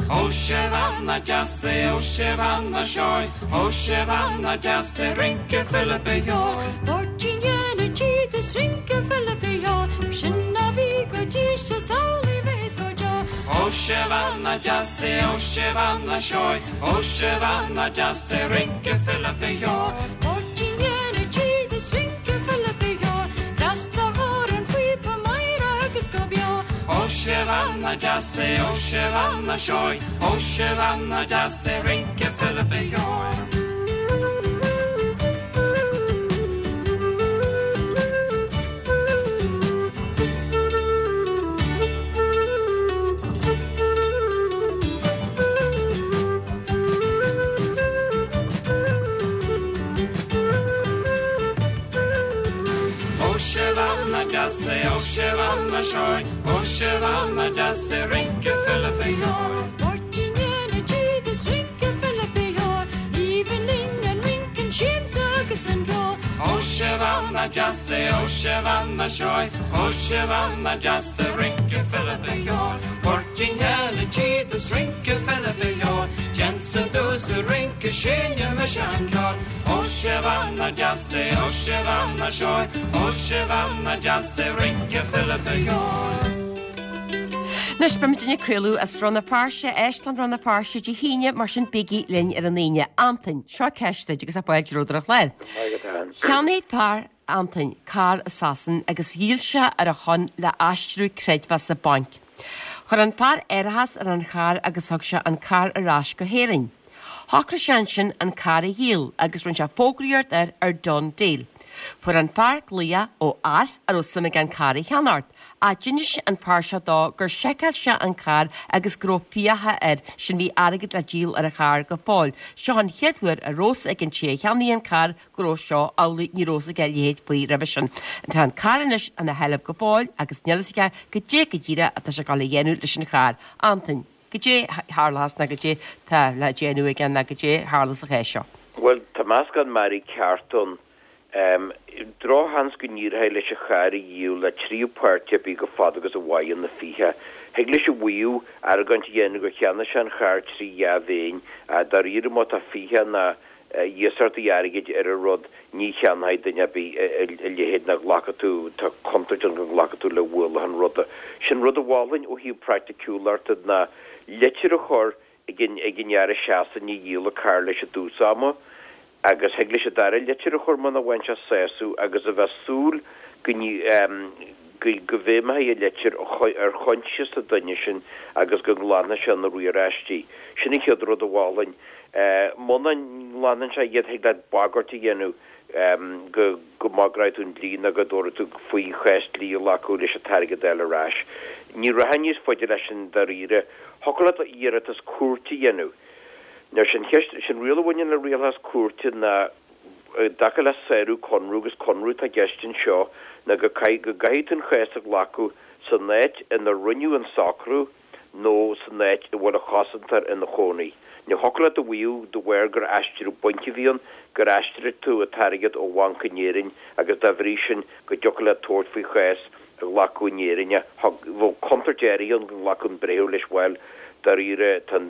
Ó sé bhean deas é, ó sé bhean seoigh, ó sé bhean deas é, rince Philip Uí Cheoil. Páirtín dhéana tíd is rince Philip Uí Cheoil, sin a bhí go dtí sé samhlaigh bheith go deo. Ó sé bhean deas é, ó sé bhean seoigh, Ó sé bhean deas é rince Philip Uí Cheoil. Páirtín dhéana tíd. bhean deas é, ó sé bhean seoigh, ó sé bhean deas é rince Philip Sheoigh. Ó sé bhean deas é, ó sé bhean seoigh, ó sé bhean deas é rince Philip Sheoigh. Máirtín Eile Tíd is rince Philip Sheoigh, Aoibhinn linn an rince, an siamsa agus an ceol. Ó sé bhean deas é, ó sé bhean seoigh, ó sé bhean deas é rince Philip Sheoigh. Máirtín Eile Tíd is rince Philip Sheoigh, Déansa dús a rince sinne me sean-ceol. Ó sé bhean deas é, ó sé bhean seoigh, ó sé bhean deas é rince Philip Sheoigh. Anois, beimid ag craoladh as Rann na Feirste, Éisteann Rann na Feirste Dé hAoine, mar sin bígí linn ar an Aoine. Antain, seo ceist duit agus fáilte romhat ar an chlár. Cheannaigh fear, Antain, carr i Sasain agus dhíol sé ar a shon le aistriú creidmheasa bainc. Chuir an fear árachas ar an charr agus thug sé an carr ar ais go hÉirinn. Shocraigh sé ansin an carr a dhíol agus rinne sé fógraíocht air ar Done Deal. Fuair an fear glaoch ó fhear a raibh suim aige an carr a cheannacht. Ach d'inis an fear seo dó gur sheiceáil sé an carr agus go raibh fiacha air, sin bhí airgead le díol ar an charr go fóill. Seo an chéad uair a raibh fhios ag an té a cheannaigh an carr go raibh seo amhlaidh, ní raibh fhios aige a leithéid faoi roimhe sin. Tá an carr anois ina sheilbh go fóill agus níl fhios aige goidé go díreach atá sé ag dul a dhéanamh leis an charr. Antain, goidé tharlós ná goidé tá le déanamh aige ná goidé tharla sa chás seo. Bhuel, tá meascán mearaí ceart ann. Drochsheans go n-éireoidh leis an charr a dhíol le tríú páirtí ar bith go fada agus a mhaireann na fiacha. Thig leis a mhaíomh, argóint a dhéanamh gur cheannaigh sé an charr trí dhea-mhéin, ach dáiríre má tá fiacha ná iasachtaí airgid ar an rud, ní cheannóidh duine ar bith a leithéid ná glacfaidh tú, tá contúirt ann go nglacfaidh tú le ualach an ruda. Sin rud a mholfainn ó thaobh praiticiúlachta ná litir a chur ag an fhear i Sasain a dhíol an carr leis i dtús ama agus thig leis an dara litir a chur muna bhfaigheann sé sásamh agus a bheith súil go go bhfeidhmeoidh an litir ar choinsias an duine sin agus go nglanfaidh sé na riaráistí. Sin an chéad rud a mholfainn. Muna nglanann sé iad thig leat bagairt a dhéanamh go go mbagróidh tú an dlí nó go dtabharfaidh tú faoi chás dlí a ghlacadh leis an t-airgead a fháil ar ais. Ní rachainn níos faide leis sin dáiríre. Thiocfadh leat iarratas cúirte a dhéanamh. Now sin cheist, sin riail a bhaineann le rialachas cúirte ná i dtaca le sárú conradh, agus conradh atá i gceist anseo, ná go go gcaithfidh tú an chás a ghlacadh san áit ina rinneadh an socrú nó san áit a bhfuil an chosantóir ina chónaí. Now thiocfadh leat a mhaíomh de bharr gur aistriú bainc a bhí ann, gur aistrigh tú an t-airgead ó bhanc in Éirinn agus dá bhrí sin go dtiocfadh leat tabhairt faoi chás a ghlacadh in Éirinn. Bheadh contúirt áirithe ann go nglacfadh an breitheamh leis, bhuel, dáiríre, tá an,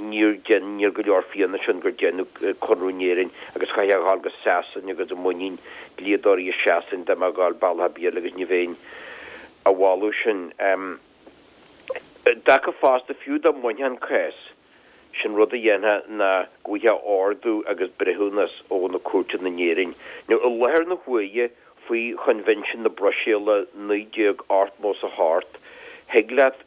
níor dein, níl go leor fianaise ann gur deineadh conradh in Éirinn agus chaithfeá a ghabháil go Sasain agus i muinín dlíodóirí i Sasain dá mbeifeá ag gabháil bealach ar bith eile agus ní bheinn á mholadh sin. I dtaca fosta, fiú dá mbainfeá an cás, Sin rud a dhéanfá ná go bhfaighfeá ordú agus breithiúnas ó na cúirteanna in Éirinn. Now i láthair na huaire, faoi Choinbhinsiún na Bruiséile 1988, thig leat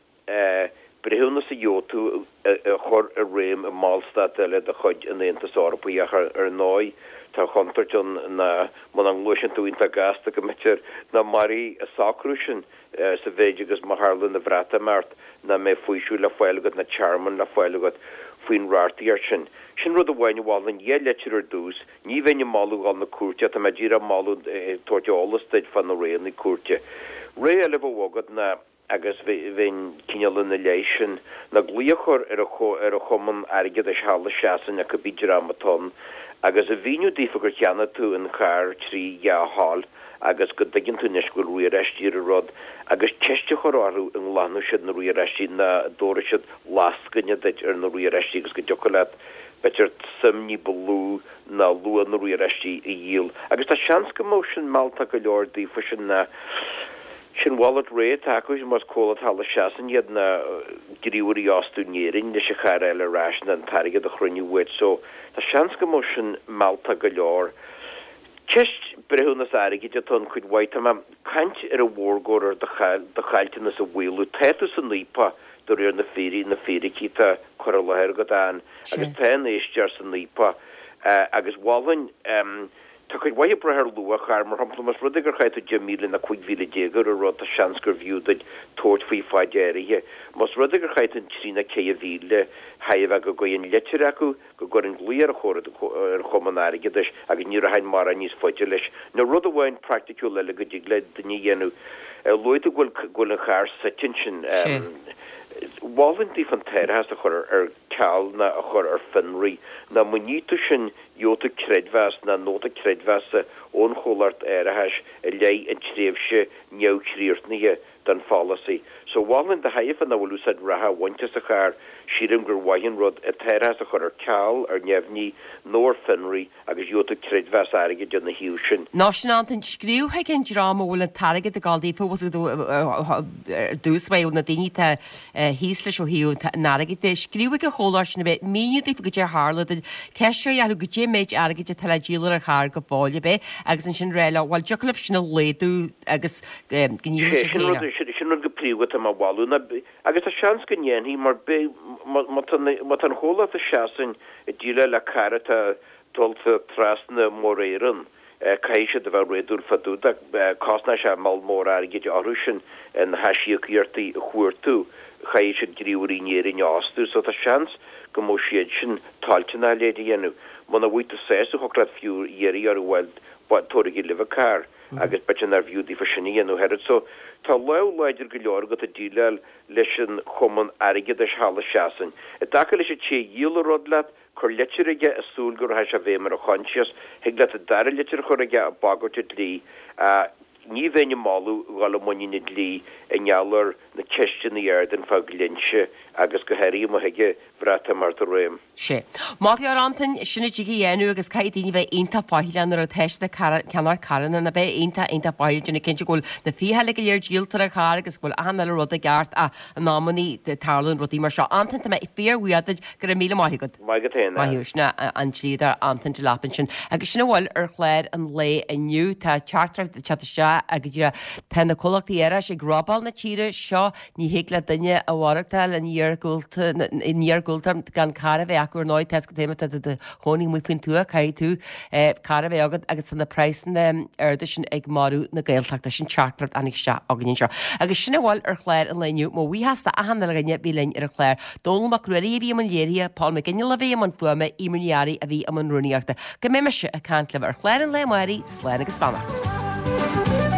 breithiúnas a dhiúltú a chur i réim i mballstát eile de chuid an Aontais Eorpaigh ach ar ndóigh tá an chontúirt ann ná muna ngluaiseann tú iontach gasta go mb'fhéidir nach mairfidh an socrú sin. sa mhéid agus má tharlaíonn an Bhreatimeacht nach mbeidh faoiseamh le fáil agat ná tearmann le fáil agat faoin reachtaíocht sin. Sin rud amháin a mholfainn, dhá litir ar dtús, ní bheinn ag moladh dhul na cúirte ach tá mé díreach ag moladh ag tabhairt eolas duit fá na roghanna cúirte. Rogha eile a bheadh agat ná, agus bheinn cineál ina leith sin, ná glaoch a chur ar ar an Chumann Airgeadais thall i Sasain nó cibé dream atá ann agus a mhíniú daofa gur cheannaigh tú an carr trí dhea-thoil agus go dtuigeann tú anois go bhfuil riaráistí ar an rud agus ceist a chur orthu an nglanfaidh siad na riaráistí nó an dtabharfaidh siad lascaine duit ar na riaráistí agus go dtiocfadh leat b'fhéidir suim ní ba lú ná luach na riaráistí a dhíol. Agus tá seans go mbeadh sin mealltach go leor daofa sin ná sin mhalairt rogha atá acu más comhlacht thall i Sasain iad ná gníomhairí a fhostú in Éirinn leis an charr a fháil ar ais ná an t-airgead a chruinniú uait so tá seans go mbeadh sin mealltach go leor. Ceist breithiúnas airgid atá ann cuid mhaith. Tá mé ag caint ar an mhórgóir ar do chaillteanas a mhaolú. Tá tú san fhaopach de réir na fíricí, na fíricí atá curtha i láthair agat, Ann, agus tá an éisteoir san fhaopach agus mholfainn, tá cuid mhaith ag brath ar luach chairr, mar shampla, más rud é gur chaith tú 10,000 nó 15,000 ar an rud, tá seans gurbh fhiú duit tabhairt faoi faid áirithe. Más rud é gur chaith tú an 3 nó 4,000, chaithfidh a bheith go gcuirfinn litir acu, go gcuirfinn glaoch ar ar chumann airgeadais agus ní rachainn mórán níos faide leis. Nó rud amháin praiticiúil eile go dtig le duine a dhéanamh, luaigh tú go bhfuil go bhfuil an charr suite ansin. Mholfainn daofa an t-árachas a chur ar ceal ná a chur ar fionraí. Nó má ní tú sin gheobhaidh tú creidmheas ná nóta creidmheasa ón chomhlacht árachais i leith an tréimhse neamhchríochnaithe den pholasaí. So mholfainn do thaithe nach bhfuil úsáid reatha á bhaint as an charr, sílim gur mhaith an rud an t-árachas a chur ar ceal, ar neamhní, nó ar fionraí agus gheobhaidh tú creidmheas airgid ina thaobh sin. Nó sin Antain, scríobh chuig an dream a bhfuil an t-airgead ag dul daofa, bhfuil a fhios agat, ar dtús báire, na daoine atá thíos leis ó thaobh an airgid de, scríobh chuig an chomhlacht sin a bheith, míniú daofa goidé a tharla duit, ceistiú orthu goidé an méid airgid atá le díol ar an charr go fóill ab é, agus ansin rá leo, bhuel, dtiocfadh libh sin a laghdú agus go ndíolfaidh siad féin é. Sin rud go príomha atá mé a mholadh ná, agus tá seans go ndéanfaidh, mar beidh, má tá má tá an chomhlacht a seasann ag déileáil le carr atá dulta trasna Muir Éireann, caithfidh siad a bheith réadúil fá dtaobh de. Cosnóidh sé moll mór airgid orthu sin na haisíocaíochtaí a chuartú, caithfidh siad gníomhairí in Éirinn a fhostú, so tá seans go mbeadh siad sin toilteanach a leithéid a dhéanamh. Muna bhfaighidh tú sásamh, thiocfadh leat fiú iarraidh orthu, bhuel, tabhairigí libh an carr. agus b'fhéidir nárbh fhiú daofa sin a dhéanamh oiread. So, tá lámh láidir go leor agat ag déileáil leis an chumann airgeadais thall i Sasain. I dtaca leis an té a dhíol an rud leat, cuir litir aige ag súil go rachaidh sé i bhfeidhm ar a choinsias. Thig leat an dara litir a chur aige ag bagairt an dlí. Ní bheinn ag moladh dhul i muinín an dlí i ngeall ar na ceisteanna a ardaíonn fá dhlínse agus go háirithe má thig an Bhreatimeacht i réim. Sea. Maith go leor Antain, sin a dtig a dhéanamh agus caithfidh daoine bheith iontach faichilleach nuair atá siad ag ceannach carranna, ná bheith iontach, iontach faichilleach, déanamh cinnte go bhfuil na fiacha uilig go léir díolta ar an charr agus go bhfuil achan uile rud i gceart ach in amannaí tarlaíonn rudaí mar seo. Antain, tá mé fíorbhuíoch duit, go raibh míle maith agat. Maith agat féin. Maith thú. Sin an dlíodóir Antain Delap ansin. Agus sin a bhfuil ar chlár an lae inniu. Tá teachtaireacht ag teacht isteach agus tá na comhlachtaí árachais ag robáil na tíre seo. Ní thig le duine a mhaireachtáil in iargúltacht gan carr a bheith acu ar ndóigh, tá 'fhios agat féin má tá tú i do chónaí amuigh faoin tuath, caithfidh tú carr a bheith agat agus tá na praghsanna arda sin ag marú na Gaeltachta. Sin teachtaireacht a tháinig isteach againn anseo. Agus sin a bhfuil ar chlár an lae inniu. Mo bhuíochas d'achan uile dhuine a bhí linn ar an chlár. Dónall Mac Ruairí a bhí i mbun léirithe, Paul McGinley a bhí i mbun fuaime, Eimear Ní Fhearraigh a bhí i mbun rúnaíochta. Go mbeidh mise ag caint libh ar chlár an lae amárach, slán agus beannacht.